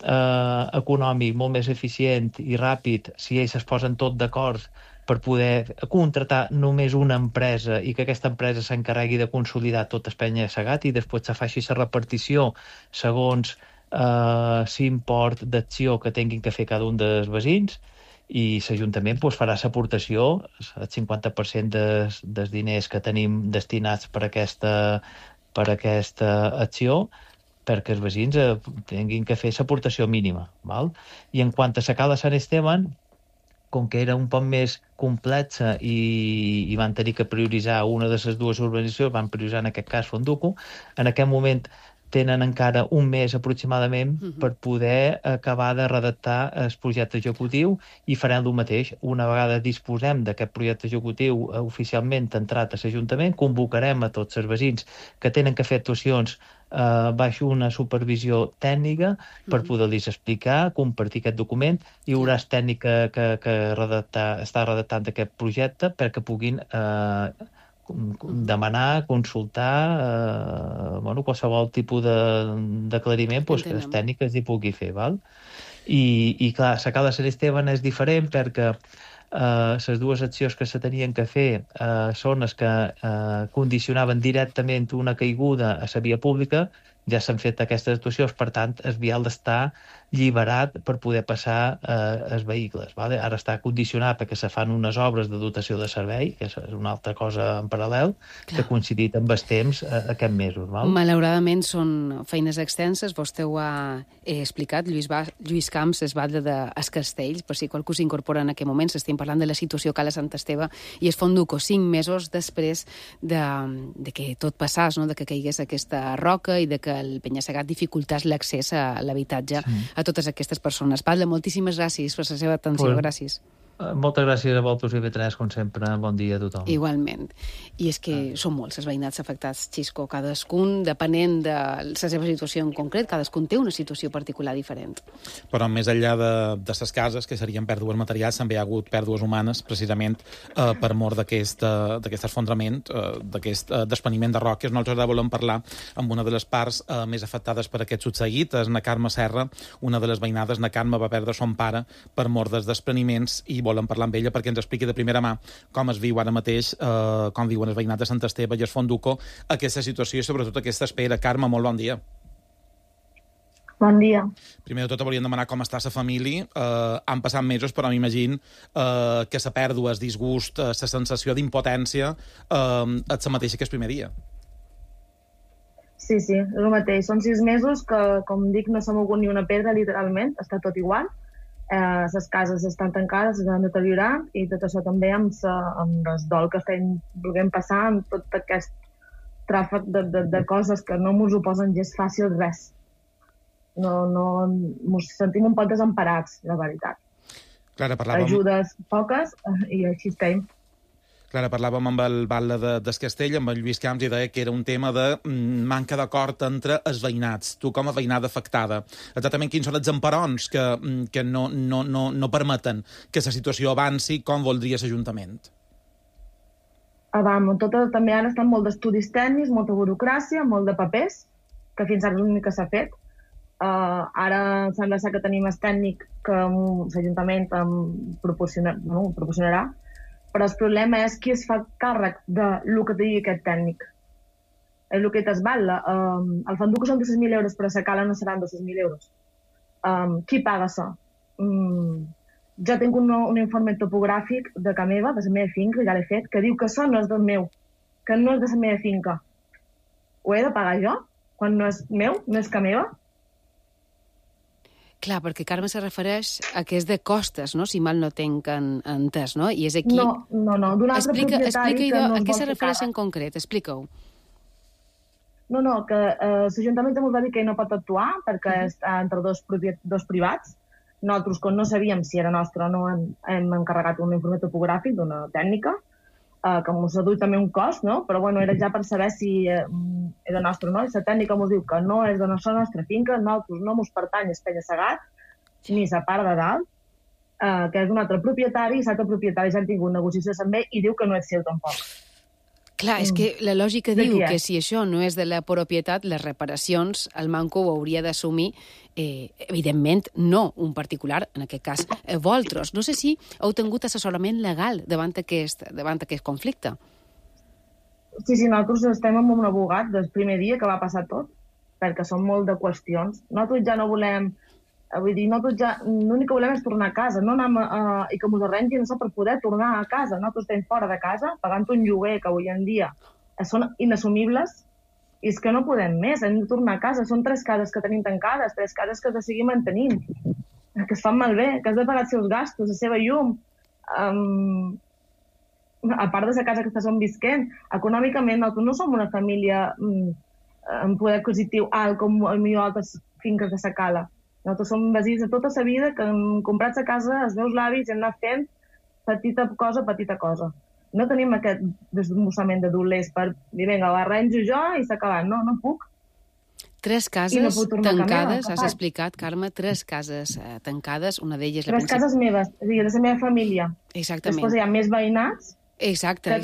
econòmic, molt més eficient i ràpid si ells es posen tot d'acord per poder contratar només una empresa i que aquesta empresa s'encarregui de consolidar tot el penya-segat i després se faci la repartició segons l'import d'acció que tinguin que fer cada un dels veïns, i l'Ajuntament farà l'aportació, el 50% dels diners que tenim destinats per aquesta acció, perquè els veïns tinguin que fer l'aportació mínima. I en quant a la Cala Sant Esteban, com que era un poc més complexa i van tenir que prioritzar una de les dues urbanitzacions, van prioritzar en aquest cas Fonduco, en aquest moment tenen encara un mes aproximadament per poder acabar de redactar el projecte executiu i farem el mateix. Una vegada disposem d'aquest projecte executiu oficialment entrat a l'Ajuntament, convocarem a tots els veïns que tenen que fer actuacions baix una supervisió tècnica per poder-los explicar, compartir aquest document. Hi haurà el tècnic que està redactant aquest projecte perquè puguin demanar, consultar qualsevol tipus d'aclariment que els tècnics hi pugui fer. I clar, la Cala Sant Esteban és diferent perquè les dues accions que se tenien que fer són les que condicionaven directament una caiguda a la via pública. Ja s'han fet aquestes actuacions, per tant, el vial està alliberat per poder passar els vehicles. Ara està condicionat perquè se fan unes obres de dotació de servei, que és una altra cosa en paral·lel, que ha coincidit amb els temps aquests mesos. Malauradament són feines extenses, vostè ho ha explicat, Lluís Camps es batlle dels Castells, per si qualcú s'incorpora en aquest moment, s'estem parlant de la situació a Cala Sant Esteve i es Fonduco 5 mesos després de que tot passàs, de que caigués aquesta roca i de que el penya-segat dificultàs l'accés a l'habitatge a totes aquestes persones. Batlle, moltíssimes gràcies per la seva atenció. Gràcies. Moltes gràcies a vosaltres, IB3, com sempre. Bon dia a tothom. Igualment. I és que són molts els veïnats afectats, Xisco. Cadascun, depenent de la seva situació en concret, cadascun té una situació particular diferent. Però més enllà de les cases, que serien pèrdues materials, també hi ha hagut pèrdues humanes, precisament per mort d'aquest esfondrament, d'aquest despeniment de roques. Nosaltres ara volem parlar amb una de les parts més afectades per aquest succeït, és na Carme Serra, una de les veïnades. Na Carme va perdre son pare per mort dels despreniments i volem parlar amb ella perquè ens expliqui de primera mà com es viu ara mateix, com viuen els veïnats de Sant Esteve i es Fonduco, aquesta situació i sobretot aquesta espera. Carme, molt bon dia. Bon dia. Primer de tot, volíem demanar com està la família. Han passat mesos, però m'imagino que la pèrdua, el disgust, la sensació d'impotència és la mateixa que el primer dia. Sí, és el mateix. Són 6 mesos que, com dic, no s'ha mogut ni una pedra, literalment. Està tot igual. Les cases estan tancades, s'han deteriorat, i tot això també amb el dol que estem volent passar, amb tot aquest tràfic de coses que no ens ho posen gens fàcil res. No, ens sentim un poc desemparats, la veritat. Clara, parlàvem... Ajudes poques i així estem. Clara, parlàvem amb el batlle del Castell, amb el Lluís Camps, i deia que era un tema de manca d'acord entre els veïnats. Tu, com a veïnada afectada, exactament quins són els emparons que no permeten que la situació avanci com voldria l'Ajuntament? També han estat molt d'estudis tècnics, molta burocràcia, molt de papers, que fins ara és l'únic que s'ha fet. Ara sembla que tenim el tècnic que l'Ajuntament proporcionarà, però el problema és qui es fa càrrec del que digui aquest tècnic. És el que es batla. El Fonduco són 200.000 euros, però a la Cala no seran 200.000 euros. Qui paga això? Jo tinc un informe topogràfic de casa meva, de la meva finca, ja l'he fet, que diu que això no és del meu, que no és de la meva finca. Ho he de pagar jo? Quan no és meu, no és casa meva? Clar, perquè Carme se refereix a que és de costes, no? Si mal no tinc entès, no? I és aquí... No, d'un altre propietari que no es vol fer càrrec. A què se refereix en concret? Explica-ho. No, que l'Ajuntament ens va dir que no pot actuar perquè està entre dos privats. Nosaltres, quan no sabíem si era nostre o no, hem encarregat un informe topogràfic d'una tècnica, que ens ha dut també un cost, no? Però bueno, era ja per saber si era nostre o no. I la tècnica ens diu que no és de la nostra finca, nosaltres no ens pertany a Penya-Segat, ni la part de dalt, que és un altre propietari, i l'altre propietari ja han tingut negociacions amb ell i diu que no és seu tampoc. Clar, és que la lògica diu que si això no és de la propietat, les reparacions, el manco ho hauria d'assumir, evidentment, no un particular, en aquest cas, vosaltres. No sé si heu tingut assessorament legal davant aquest conflicte. Sí, nosaltres estem amb un abogat del primer dia que va passar tot, perquè són molt de qüestions. Nosaltres ja no volem... Vull dir, l'únic que volem és tornar a casa, no anar i que ens arrengin això per poder tornar a casa. Nosaltres estem fora de casa, pagant un lloguer que avui en dia són inassumibles, i és que no podem més, hem de tornar a casa. Són 3 cases que tenim tancades, 3 cases que has de seguir mantenint, que es fan malbé, que has de pagar els seus gastos, la seva llum. A part de la casa que estàs on visquent, econòmicament nosaltres no som una família amb poder adquisitiu alt com altres finques de la Cala. Nosaltres som veïns de tota la vida que hem comprat la casa, els meus avis, i hem anat fent petita cosa. No tenim aquest desembossament de dolers per dir, vinga, ho arranjo jo i s'ha acabat. No puc. 3 cases tancades, has explicat, Carme, 3 cases tancades, una d'elles... 3 cases meves, és a dir, de la meva família. Exactament. Després hi ha més veïnats, que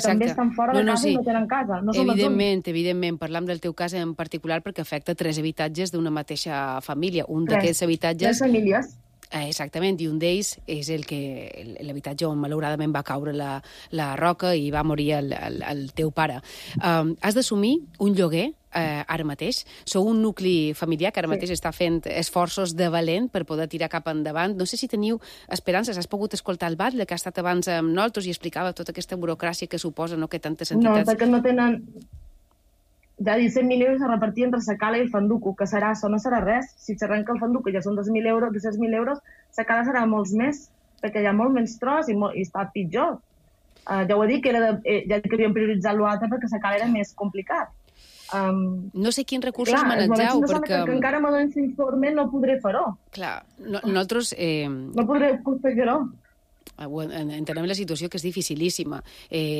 també estan fora de casa i no tenen casa. No evidentment, parlam del teu cas en particular perquè afecta 3 habitatges d'una mateixa família. Un d'aquests habitatges... 3 famílies. Exactament, i un d'ells és l'habitatge on malauradament va caure la roca i va morir el teu pare. Has d'assumir un lloguer ara mateix. Sou un nucli familiar que ara mateix està fent esforços de valent per poder tirar cap endavant. No sé si teniu esperances. Has pogut escoltar el batlle que ha estat abans amb nosaltres i explicava tota aquesta burocràcia que suposa, no?, que tantes entitats... No, perquè no tenen... Ja 17.000 euros a repartir entre la Cala i el Fonduco, que serà això, no serà res. Si s'arrenca el Fonduco ja són 200.000 euros, la Cala serà molts més, perquè hi ha molt menys tros i està pitjor. Ja ho he dit, ja que havíem prioritzat l'altre perquè la Cala era més complicat. No sé quins recursos manegeu, perquè... Que encara me donen l'informe no podré fer-ho. Clar, nosaltres... No podré fer-ho. Entenem la situació, que és dificilíssima.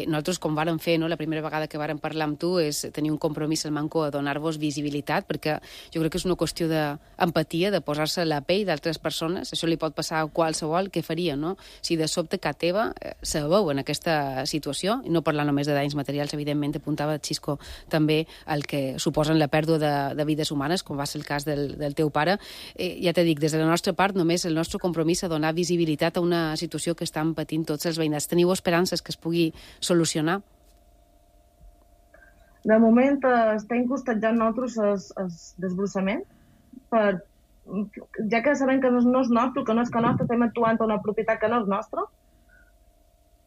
Nosaltres, com vàrem fer, la primera vegada que vàrem parlar amb tu, és tenir un compromís al manco a donar-vos visibilitat, perquè jo crec que és una qüestió d'empatia, de posar-se a la pell d'altres persones. Això li pot passar a qualsevol. Què faria, no? Si de sobte casa teva se veu en aquesta situació, i no parlar només de danys materials, evidentment, apuntava Xisco també el que suposen la pèrdua de vides humanes, com va ser el cas del teu pare. Ja t'he dit, des de la nostra part, només el nostre compromís a donar visibilitat a una situació que estan patint tots els veïnats. Teniu esperances que es pugui solucionar? De moment estem costejant nosaltres el desbrossament, ja que sabem que no és nostre, que no és que nostre, estem actuant a una propietat que no és nostra,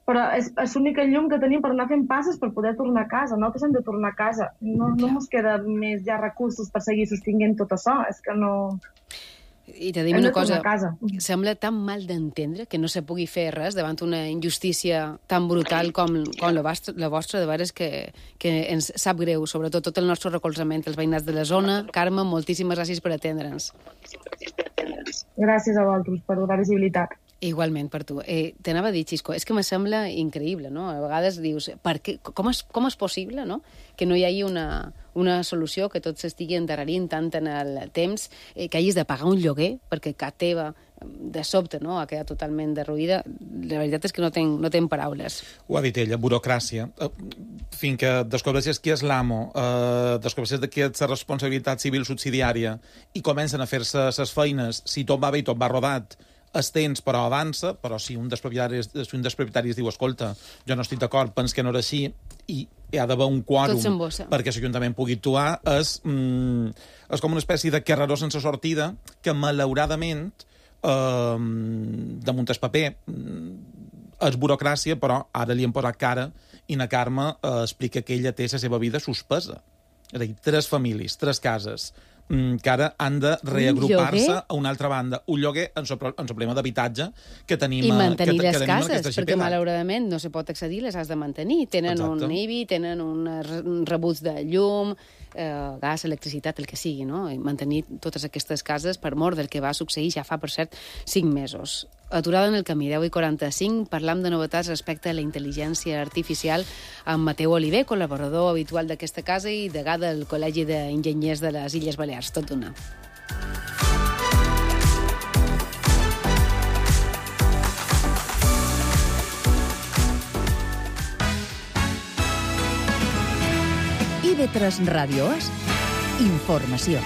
però és l'única llum que tenim per anar fent passes per poder tornar a casa. Nosaltres hem de tornar a casa. No ens queda més ja recursos per seguir sostinguent tot això. És que no... I te dic una cosa, sembla tan mal d'entendre que no se pugui fer res davant una injustícia tan brutal com la vostra, de veres que ens sap greu, sobretot tot el nostre recolzament als veïnats de la zona. Carme, moltíssimes gràcies per atendre'ns. Gràcies a vosaltres per donar visibilitat. Igualment, per tu. T'anava a dir, Xisco, és que me sembla increïble, no? A vegades dius, com és possible, no?, que no hi hagi una solució, que tot s'estigui endarrerint tant en el temps, que hagis de pagar un lloguer, perquè casa teva, de sobte, no?, ha quedat totalment derruïda. La veritat és que no tenc paraules. Ho ha dit ella, burocràcia. Fins que descobreixes qui és l'amo, descobreixes de qui és la responsabilitat civil subsidiària i comencen a fer-se les feines, si tot va bé i tot va rodat, es tens, però avança, però si un dels propietaris diu, escolta, jo no estic d'acord, pens que no era així, i hi ha d'haver un quòrum perquè l'Ajuntament pugui actuar, és com una espècie de carreró sense sortida que, malauradament, damunt el paper, és burocràcia, però ara li hem posat cara i na Carme explica que ella té la seva vida suspesa. És a dir, 3 famílies, 3 cases, que ara han de reagrupar-se a una altra banda. Un lloguer en el problema d'habitatge que tenim i mantenir les cases, perquè malauradament no se pot accedir, les has de mantenir. Tenen un IBI, tenen un rebuig de llum, gas, electricitat, el que sigui, no? I mantenir totes aquestes cases per mort del que va succeir ja fa, per cert, 5 mesos. Aturada en el camí, 10:45, parlam de novetats respecte a la intel·ligència artificial amb Mateu Oliver, col·laborador habitual d'aquesta casa i degà del Col·legi d'Enginyers de les Illes Balears. Tot d'una. IB3 Ràdio és informació.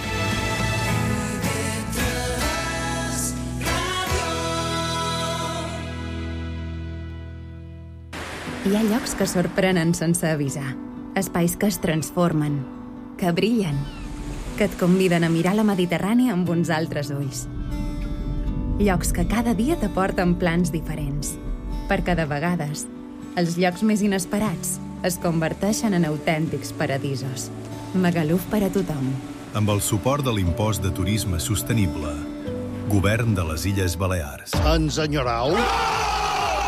Hi ha llocs que sorprenen sense avisar, espais que es transformen, que brillen, que et conviden a mirar la Mediterrània amb uns altres ulls. Llocs que cada dia t'aporten plans diferents, perquè de vegades els llocs més inesperats es converteixen en autèntics paradisos. Magaluf per a tothom. Amb el suport de l'impost de turisme sostenible. Govern de les Illes Balears. Ens enyorau?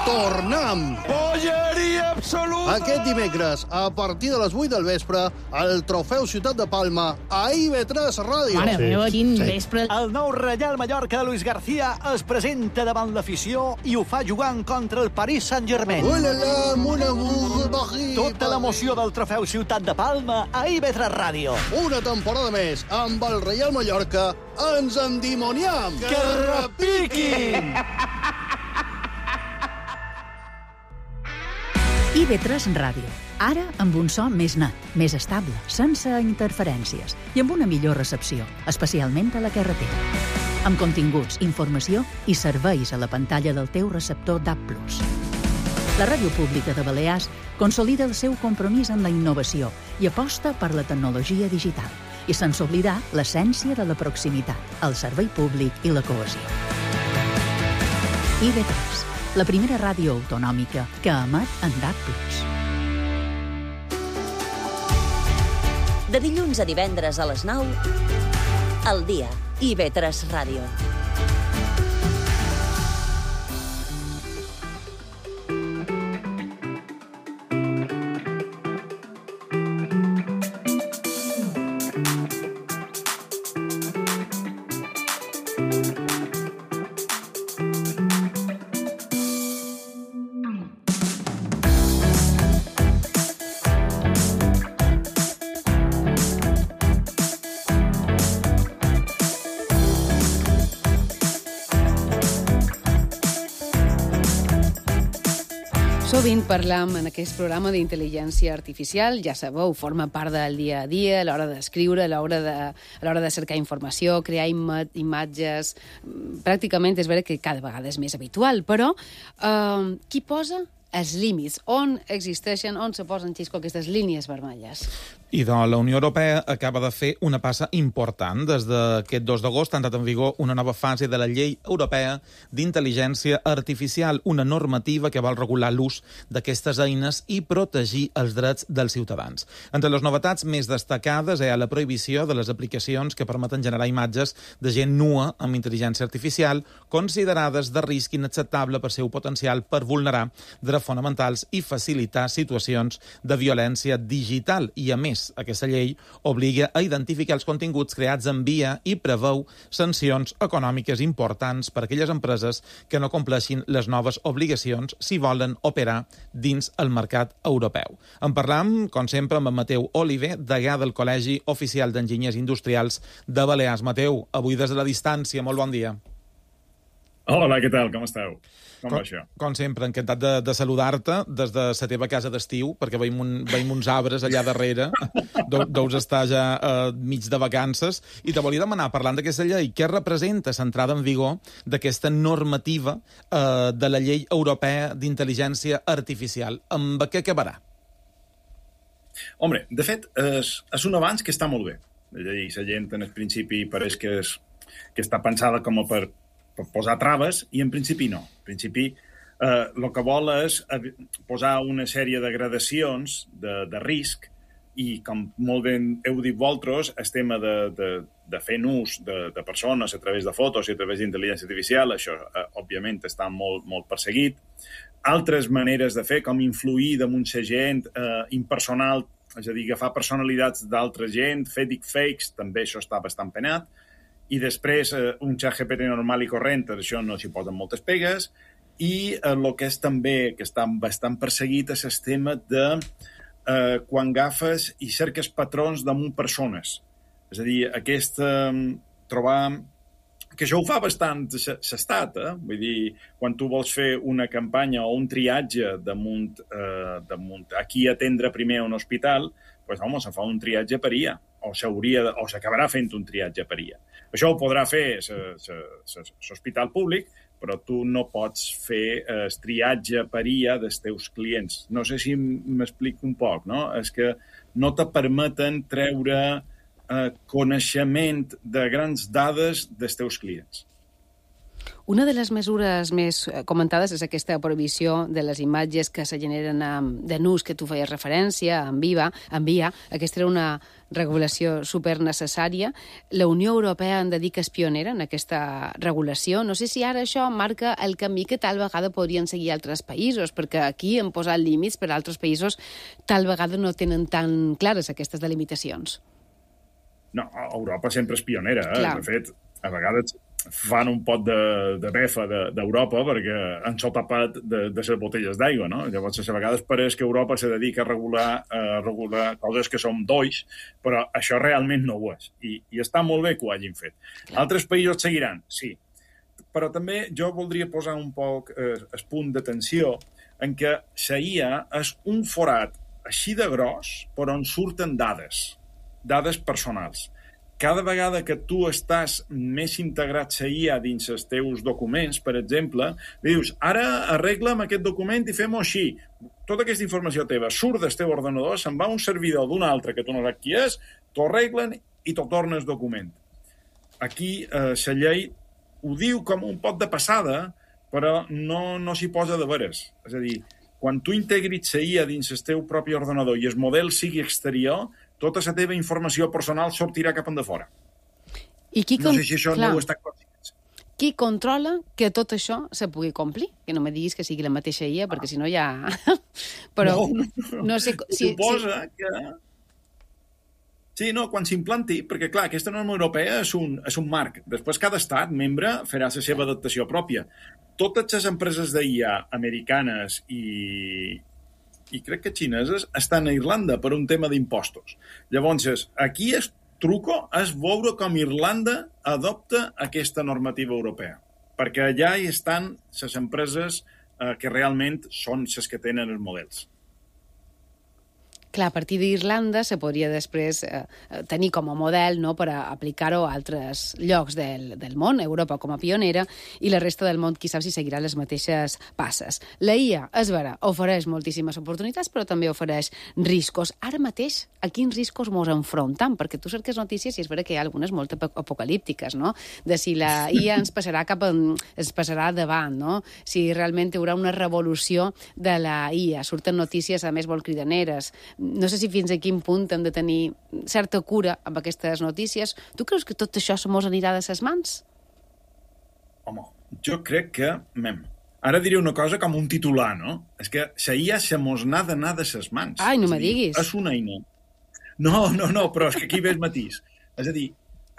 Tornem! Polleria absoluta! Aquest dimecres, a partir de les 8 del vespre, el Trofeu Ciutat de Palma a IB3 Ràdio. Mare meva, quin vespre. El nou Reial Mallorca de Luis García es presenta davant l'afició i ho fa jugant contra el Paris Saint-Germain. Tota l'emoció del Trofeu Ciutat de Palma a IB3 Ràdio. Una temporada més amb el Reial Mallorca. Ens endimoniam! Que repiquin! IB3 Ràdio. Ara amb un so més net, més estable, sense interferències i amb una millor recepció, especialment a la carretera. Amb continguts, informació i serveis a la pantalla del teu receptor DAB+. La Ràdio Pública de Balears consolida el seu compromís amb la innovació i aposta per la tecnologia digital i sense oblidar l'essència de la proximitat, el servei públic i la cohesió. IB3, la primera ràdio autonòmica que emet en DAB+. De dilluns a divendres a les 9, al dia, IB3 Ràdio. Sovint parlam en aquest programa d'intel·ligència artificial, ja sabeu, forma part del dia a dia, a l'hora d'escriure, a l'hora de cercar informació, crear imatges. Pràcticament és vera que cada vegada és més habitual, però qui posa els límits? On existeixen, on se posen, Xisco, aquestes línies vermelles? I doncs la Unió Europea acaba de fer una passa important. Des d'aquest 2 d'agost ha entrat en vigor una nova fase de la Llei Europea d'Intel·ligència Artificial, una normativa que vol regular l'ús d'aquestes eines i protegir els drets dels ciutadans. Entre les novetats més destacades hi ha la prohibició de les aplicacions que permeten generar imatges de gent nua amb intel·ligència artificial, considerades de risc inacceptable per seu potencial per vulnerar drets fonamentals i facilitar situacions de violència digital. I, a més, aquesta llei obliga a identificar els continguts creats en via i preveu sancions econòmiques importants per a aquelles empreses que no compleixin les noves obligacions si volen operar dins el mercat europeu. En parlam, com sempre, amb en Mateu Oliver, degà del Col·legi Oficial d'Enginyers Industrials de Balears. Mateu, avui des de la distància, molt bon dia. Hola, què tal? Com esteu? Com va això? Com sempre, encantat de saludar-te des de la teva casa d'estiu, perquè veiem uns arbres allà darrere, deus estar ja mig de vacances, i te volia demanar, parlant d'aquesta llei, què representa l'entrada en vigor d'aquesta normativa de la Llei Europea d'Intel·ligència Artificial? Amb què acabarà? Hombre, de fet, és un avanç que està molt bé. La gent en el principi pareix que està pensada com a per posar traves, i en principi no. En principi, el que vol és posar una sèrie de gradacions de risc, i com molt bé heu dit vosaltres, el tema de fer ús de persones a través de fotos i a través d'intel·ligència artificial, això, òbviament, està molt, molt perseguit. Altres maneres de fer, com influir damunt la gent, impersonal, és a dir, agafar personalitats d'altra gent, fer deepfakes, també això està bastant penat. I després un ChatGPT normal i corrent, això no s'hi posen moltes pegues, i el que és també, que està bastant perseguit, és el tema de quan agafes i cerques patrons damunt persones. És a dir, trobar... que això ho fa bastant l'estat, Vull dir, quan tu vols fer una campanya o un triatge damunt a qui atendre primer a un hospital, doncs, home, se fa un triatge per IA, o s'acabarà fent un triatge per IA. Això ho podrà fer l'hospital públic, però tu no pots fer el triatge per IA dels teus clients. No sé si m'explico un poc, no? És que no te permeten treure coneixement de grans dades dels teus clients. Una de les mesures més comentades és aquesta prohibició de les imatges que se generen de nus, que tu feies referència, en via. Aquesta era una regulació supernecessària. La Unió Europea en dedica és pionera en aquesta regulació. No sé si ara això marca el camí que tal vegada podrien seguir altres països, perquè aquí han posat límits, però altres països tal vegada no tenen tan clares aquestes delimitacions. No, Europa sempre és pionera. Clar. De fet, a vegades fan un pot de befa d'Europa perquè han tapat de les botelles d'aigua, no? Llavors, a vegades pareix que Europa se dedica a regular coses que són dolls, però això realment no ho és. I està molt bé que ho hagin fet. Clar. Altres països seguiran, sí. Però també jo voldria posar un poc el punt d'atenció en què la IA és un forat així de gros, però on surten dades personals. Cada vegada que tu estàs més integrat a IA dins els teus documents, per exemple, dius, ara arregla'm aquest document i fem-ho així. Tota aquesta informació teva surt del teu ordenador, se'n va a un servidor d'un altre que tu no saps qui és, t'ho arreglen i t'ho torna el document. Aquí la llei ho diu com un pot de passada, però no s'hi posa de veres. És a dir, quan tu integris la IA dins el teu propi ordenador i el model sigui exterior, tota la teva informació personal sortirà cap endafora. No sé si això no ho està conscients. Qui controla que tot això se pugui complir? Que no me diguis que sigui la mateixa IA, perquè si no ja... Però no sé... Suposa que... Sí, no, quan s'implanti, perquè, clar, aquesta norma europea és un marc. Després, cada estat membre farà la seva adaptació pròpia. Totes les empreses d'IA americanes i crec que xineses estan a Irlanda per un tema d'impostos. Llavors, aquí el truco és veure com Irlanda adopta aquesta normativa europea, perquè allà hi estan les empreses que realment són les que tenen els models. Clar, a partir d'Irlanda se podria després tenir com a model, no?, per aplicar-ho a altres llocs del món, Europa com a pionera, i la resta del món, qui sap si seguirà les mateixes passes. La IA, és vera, ofereix moltíssimes oportunitats, però també ofereix riscos. Ara mateix, a quins riscos mos enfrontam? Perquè tu cerques notícies i és vera que hi ha algunes molt apocalíptiques, no?, de si la IA ens passarà davant, no?, si realment hi haurà una revolució de la IA. Surten notícies, a més, molt cridaneres. No sé si fins a quin punt hem de tenir certa cura amb aquestes notícies. Tu creus que tot això se mos anirà de ses mans? Home, jo crec que... Ara diré una cosa com un titular, no? És que la IA se mos n'ha d'anar de ses mans. Ai, no me diguis. És una eina... No, però és que aquí ve el matís. És a dir,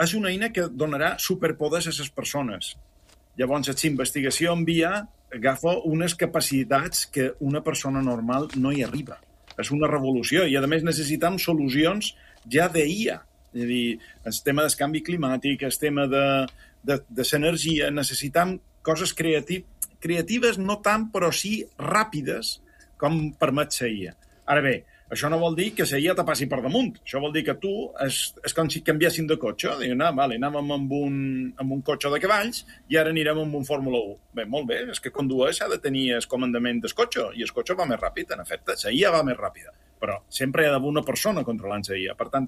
és una eina que donarà superpoders a les persones. Llavors, la investigació en IA agafa unes capacitats que una persona normal no hi arriba. És una revolució i, a més, necessitem solucions ja d'IA. És a dir, el tema del canvi climàtic, el tema de l'energia, necessitem coses creatives, no tant, però sí ràpides, com permet la IA. Ara bé, això no vol dir que la IA te passi per damunt. Això vol dir que tu és com si canviessin de cotxe. Diuen, anàvem amb un cotxe de cavalls i ara anirem amb un Fórmula 1. Bé, molt bé, és que conduir s'ha de tenir el comandament del cotxe i el cotxe va més ràpid, en efecte. La IA va més ràpida, però sempre hi ha d'haver una persona controlant la IA. Per tant,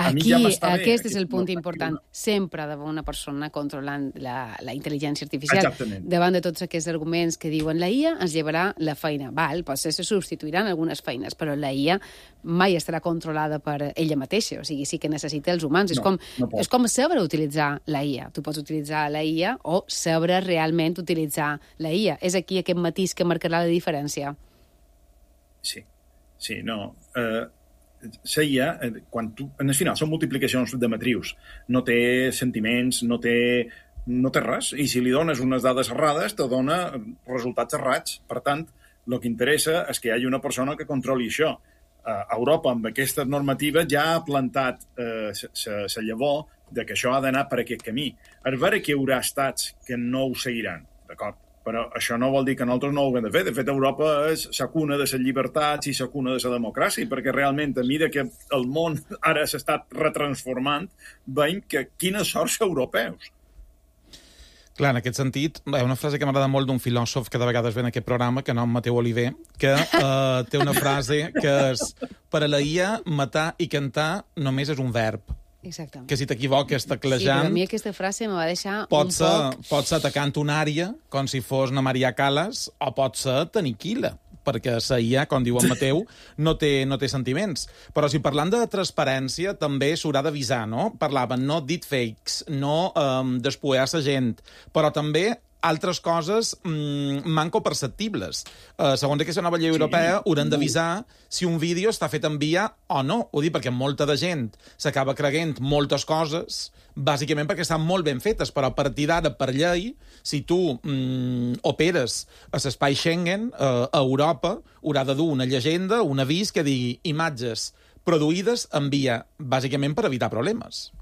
a mi ja m'està bé. Aquest és el punt important. Sempre ha d'haver una persona controlant la intel·ligència artificial. Exactament. Davant de tots aquests arguments que diuen la IA ens llevarà la feina. Potser se substituiran algunes feines, però la IA mai estarà controlada per ella mateixa. O sigui, sí que necessita els humans. És com saber utilitzar la IA. Tu pots utilitzar la IA o saber realment utilitzar la IA. És aquí aquest matís que marcarà la diferència. Sí, no. La IA, quan tu... En el final, són multiplicacions de matrius. No té sentiments, no té res. I si li dones unes dades errades, te dona resultats errats. Per tant, el que interessa és que hi hagi una persona que controli això. Europa, amb aquestes normatives, ja ha plantat la llavor de que això ha d'anar per aquest camí. És vera que hi haurà estats que no ho seguiran, d'acord? Però això no vol dir que nosaltres no ho haguem de fer. De fet, Europa és la cuna de les llibertats i la cuna de la democràcia, perquè realment, a mesura que el món ara s'està retransformant, veiem que quines sorts europeus. Clar, en aquest sentit, hi ha una frase que m'agrada molt d'un filòsof que de vegades ve en aquest programa, que nom Mateu Oliver, que té una frase que és: per a la IA, matar i cantar només és un verb. Exactament. Que si t'equivoques teclejant... Sí, però a mi aquesta frase me va deixar Pots ser atacant una àrea, com si fos una Maria Callas, o pot ser t'aniquila, perquè la IA, com diu en Mateu, no té sentiments. Però si parlant de transparència, també s'haurà d'avisar, no? Parlaven no deepfakes, no despoear la gent, però també altres coses manco perceptibles. Segons aquesta nova llei europea, hauran d'avisar si un vídeo està fet en IA o no. Ho dic perquè molta de gent s'acaba creient moltes coses, bàsicament perquè estan molt ben fetes, però a partir d'ara, per llei, si tu operes a l'espai Schengen, a Europa, haurà de dur una llegenda, un avís que digui imatges produïdes en IA, bàsicament per evitar problemes.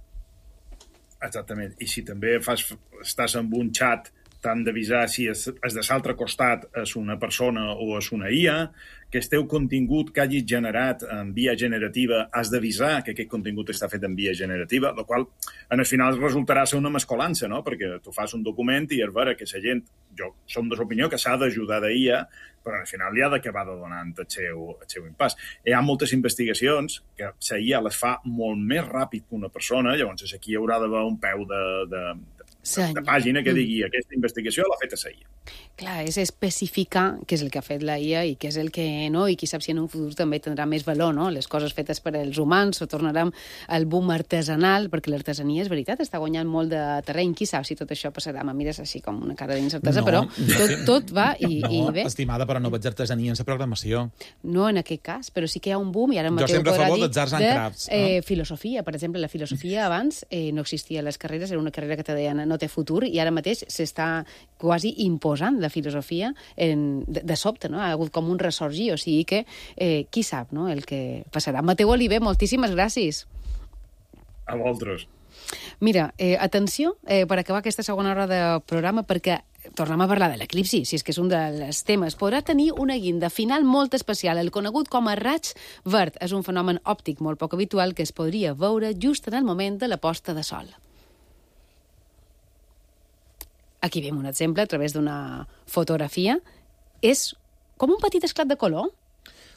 Exactament. I si també estàs en un xat, t'han d'avisar si és de l'altre costat és una persona o és una IA, que el teu contingut que hagis generat en via generativa has d'avisar que aquest contingut està fet en via generativa, el qual en el final resultarà ser una mescolança, no? Perquè tu fas un document i és vera que la gent, jo som de l'opinió que s'ha d'ajudar d'IA, però al final li ha d'acabar de donar el seu impàs. Hi ha moltes investigacions que la IA les fa molt més ràpid que una persona, llavors aquí hi haurà d'haver un peu de pàgina que digui aquesta investigació l'ha fet a la IA. Clar, és especificar què és el que ha fet la IA i què és el que no, i qui sap si en un futur també tindrà més valor, no? Les coses fetes per als humans, o tornarem al boom artesanal, perquè l'artesania, és veritat, està guanyant molt de terreny. Qui sap si tot això passarà? Me mires així com una cara d'incertesa, però tot va i bé. Estimada, però no veig artesania en la programació. No en aquest cas, però sí que hi ha un boom, i ara Mateu podrà dir de filosofia. Per exemple, la filosofia abans no existia a les carreres, era una carrera que te deien no té futur, i ara mateix s'està quasi imposant la filosofia de sobte, no? Ha hagut com un ressorgir, o sigui que qui sap, no?, el que passarà. Mateu Oliver, moltíssimes gràcies. A vosaltres. Mira, atenció, per acabar aquesta segona hora de programa, perquè tornem a parlar de l'eclipsi, si és que és un dels temes. Podrà tenir una guinda final molt especial, el conegut com a raig verd. És un fenomen òptic molt poc habitual que es podria veure just en el moment de la posta de sol. Aquí veiem un exemple a través d'una fotografia. És com un petit esclat de color.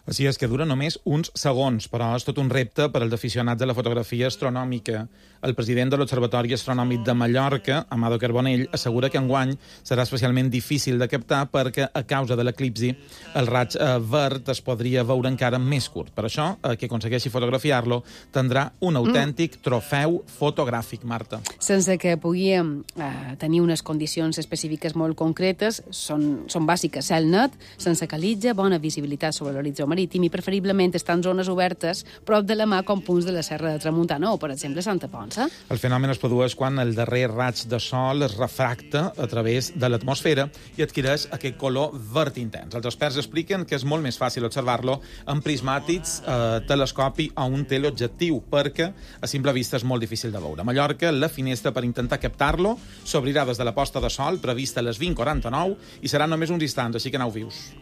Així és que dura només uns segons, però és tot un repte per als aficionats a la fotografia astronòmica. El president de l'Observatori Astronòmic de Mallorca, Amado Carbonell, assegura que enguany serà especialment difícil de captar perquè, a causa de l'eclipsi, el raig verd es podria veure encara més curt. Per això, qui aconsegueixi fotografiar-lo tindrà un autèntic trofeu fotogràfic, Marta. Sense que pugui tenir unes condicions específiques molt concretes, són bàsiques. Cel net, sense calitja, bona visibilitat sobre l'horitzó marítim i preferiblement estar en zones obertes prop de la mà com punts de la Serra de Tramuntana o, per exemple, Santa Ponça. El fenomen es produeix quan el darrer raig de sol es refracta a través de l'atmosfera i adquireix aquest color verd intens. Els experts expliquen que és molt més fàcil observar-lo amb prismàtics, telescopi o un teleobjectiu, perquè a simple vista és molt difícil de veure. A Mallorca, la finestra per intentar captar-lo s'obrirà des de la posta de sol, prevista a les 20:49, i seran només uns instants, així que aneu-vius.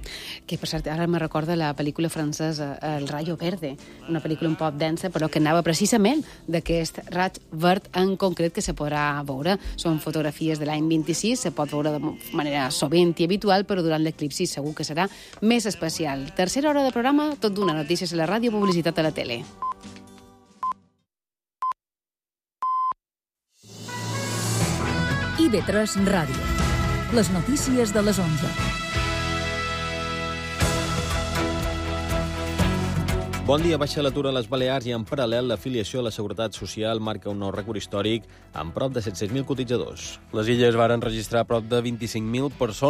Que, per cert, ara me recorda la pel·lícula francesa El Rayo Verde, una pel·lícula un poc densa, però que anava precisament d'aquest raig verd en concret que se podrà veure. Són fotografies de l'any 26, se pot veure de manera sovint i habitual, però durant l'eclipsi segur que serà més especial. Tercera hora de programa, tot d'una, notícies a la ràdio, publicitat a la tele. IB3 Ràdio. Les notícies de les 11. Bon dia, baixa l'atur a les Balears i en paral·lel l'afiliació a la Seguretat Social marca un nou rècord històric amb prop de 700.000 cotitzadors. Les illes varen registrar prop de 25.000 persones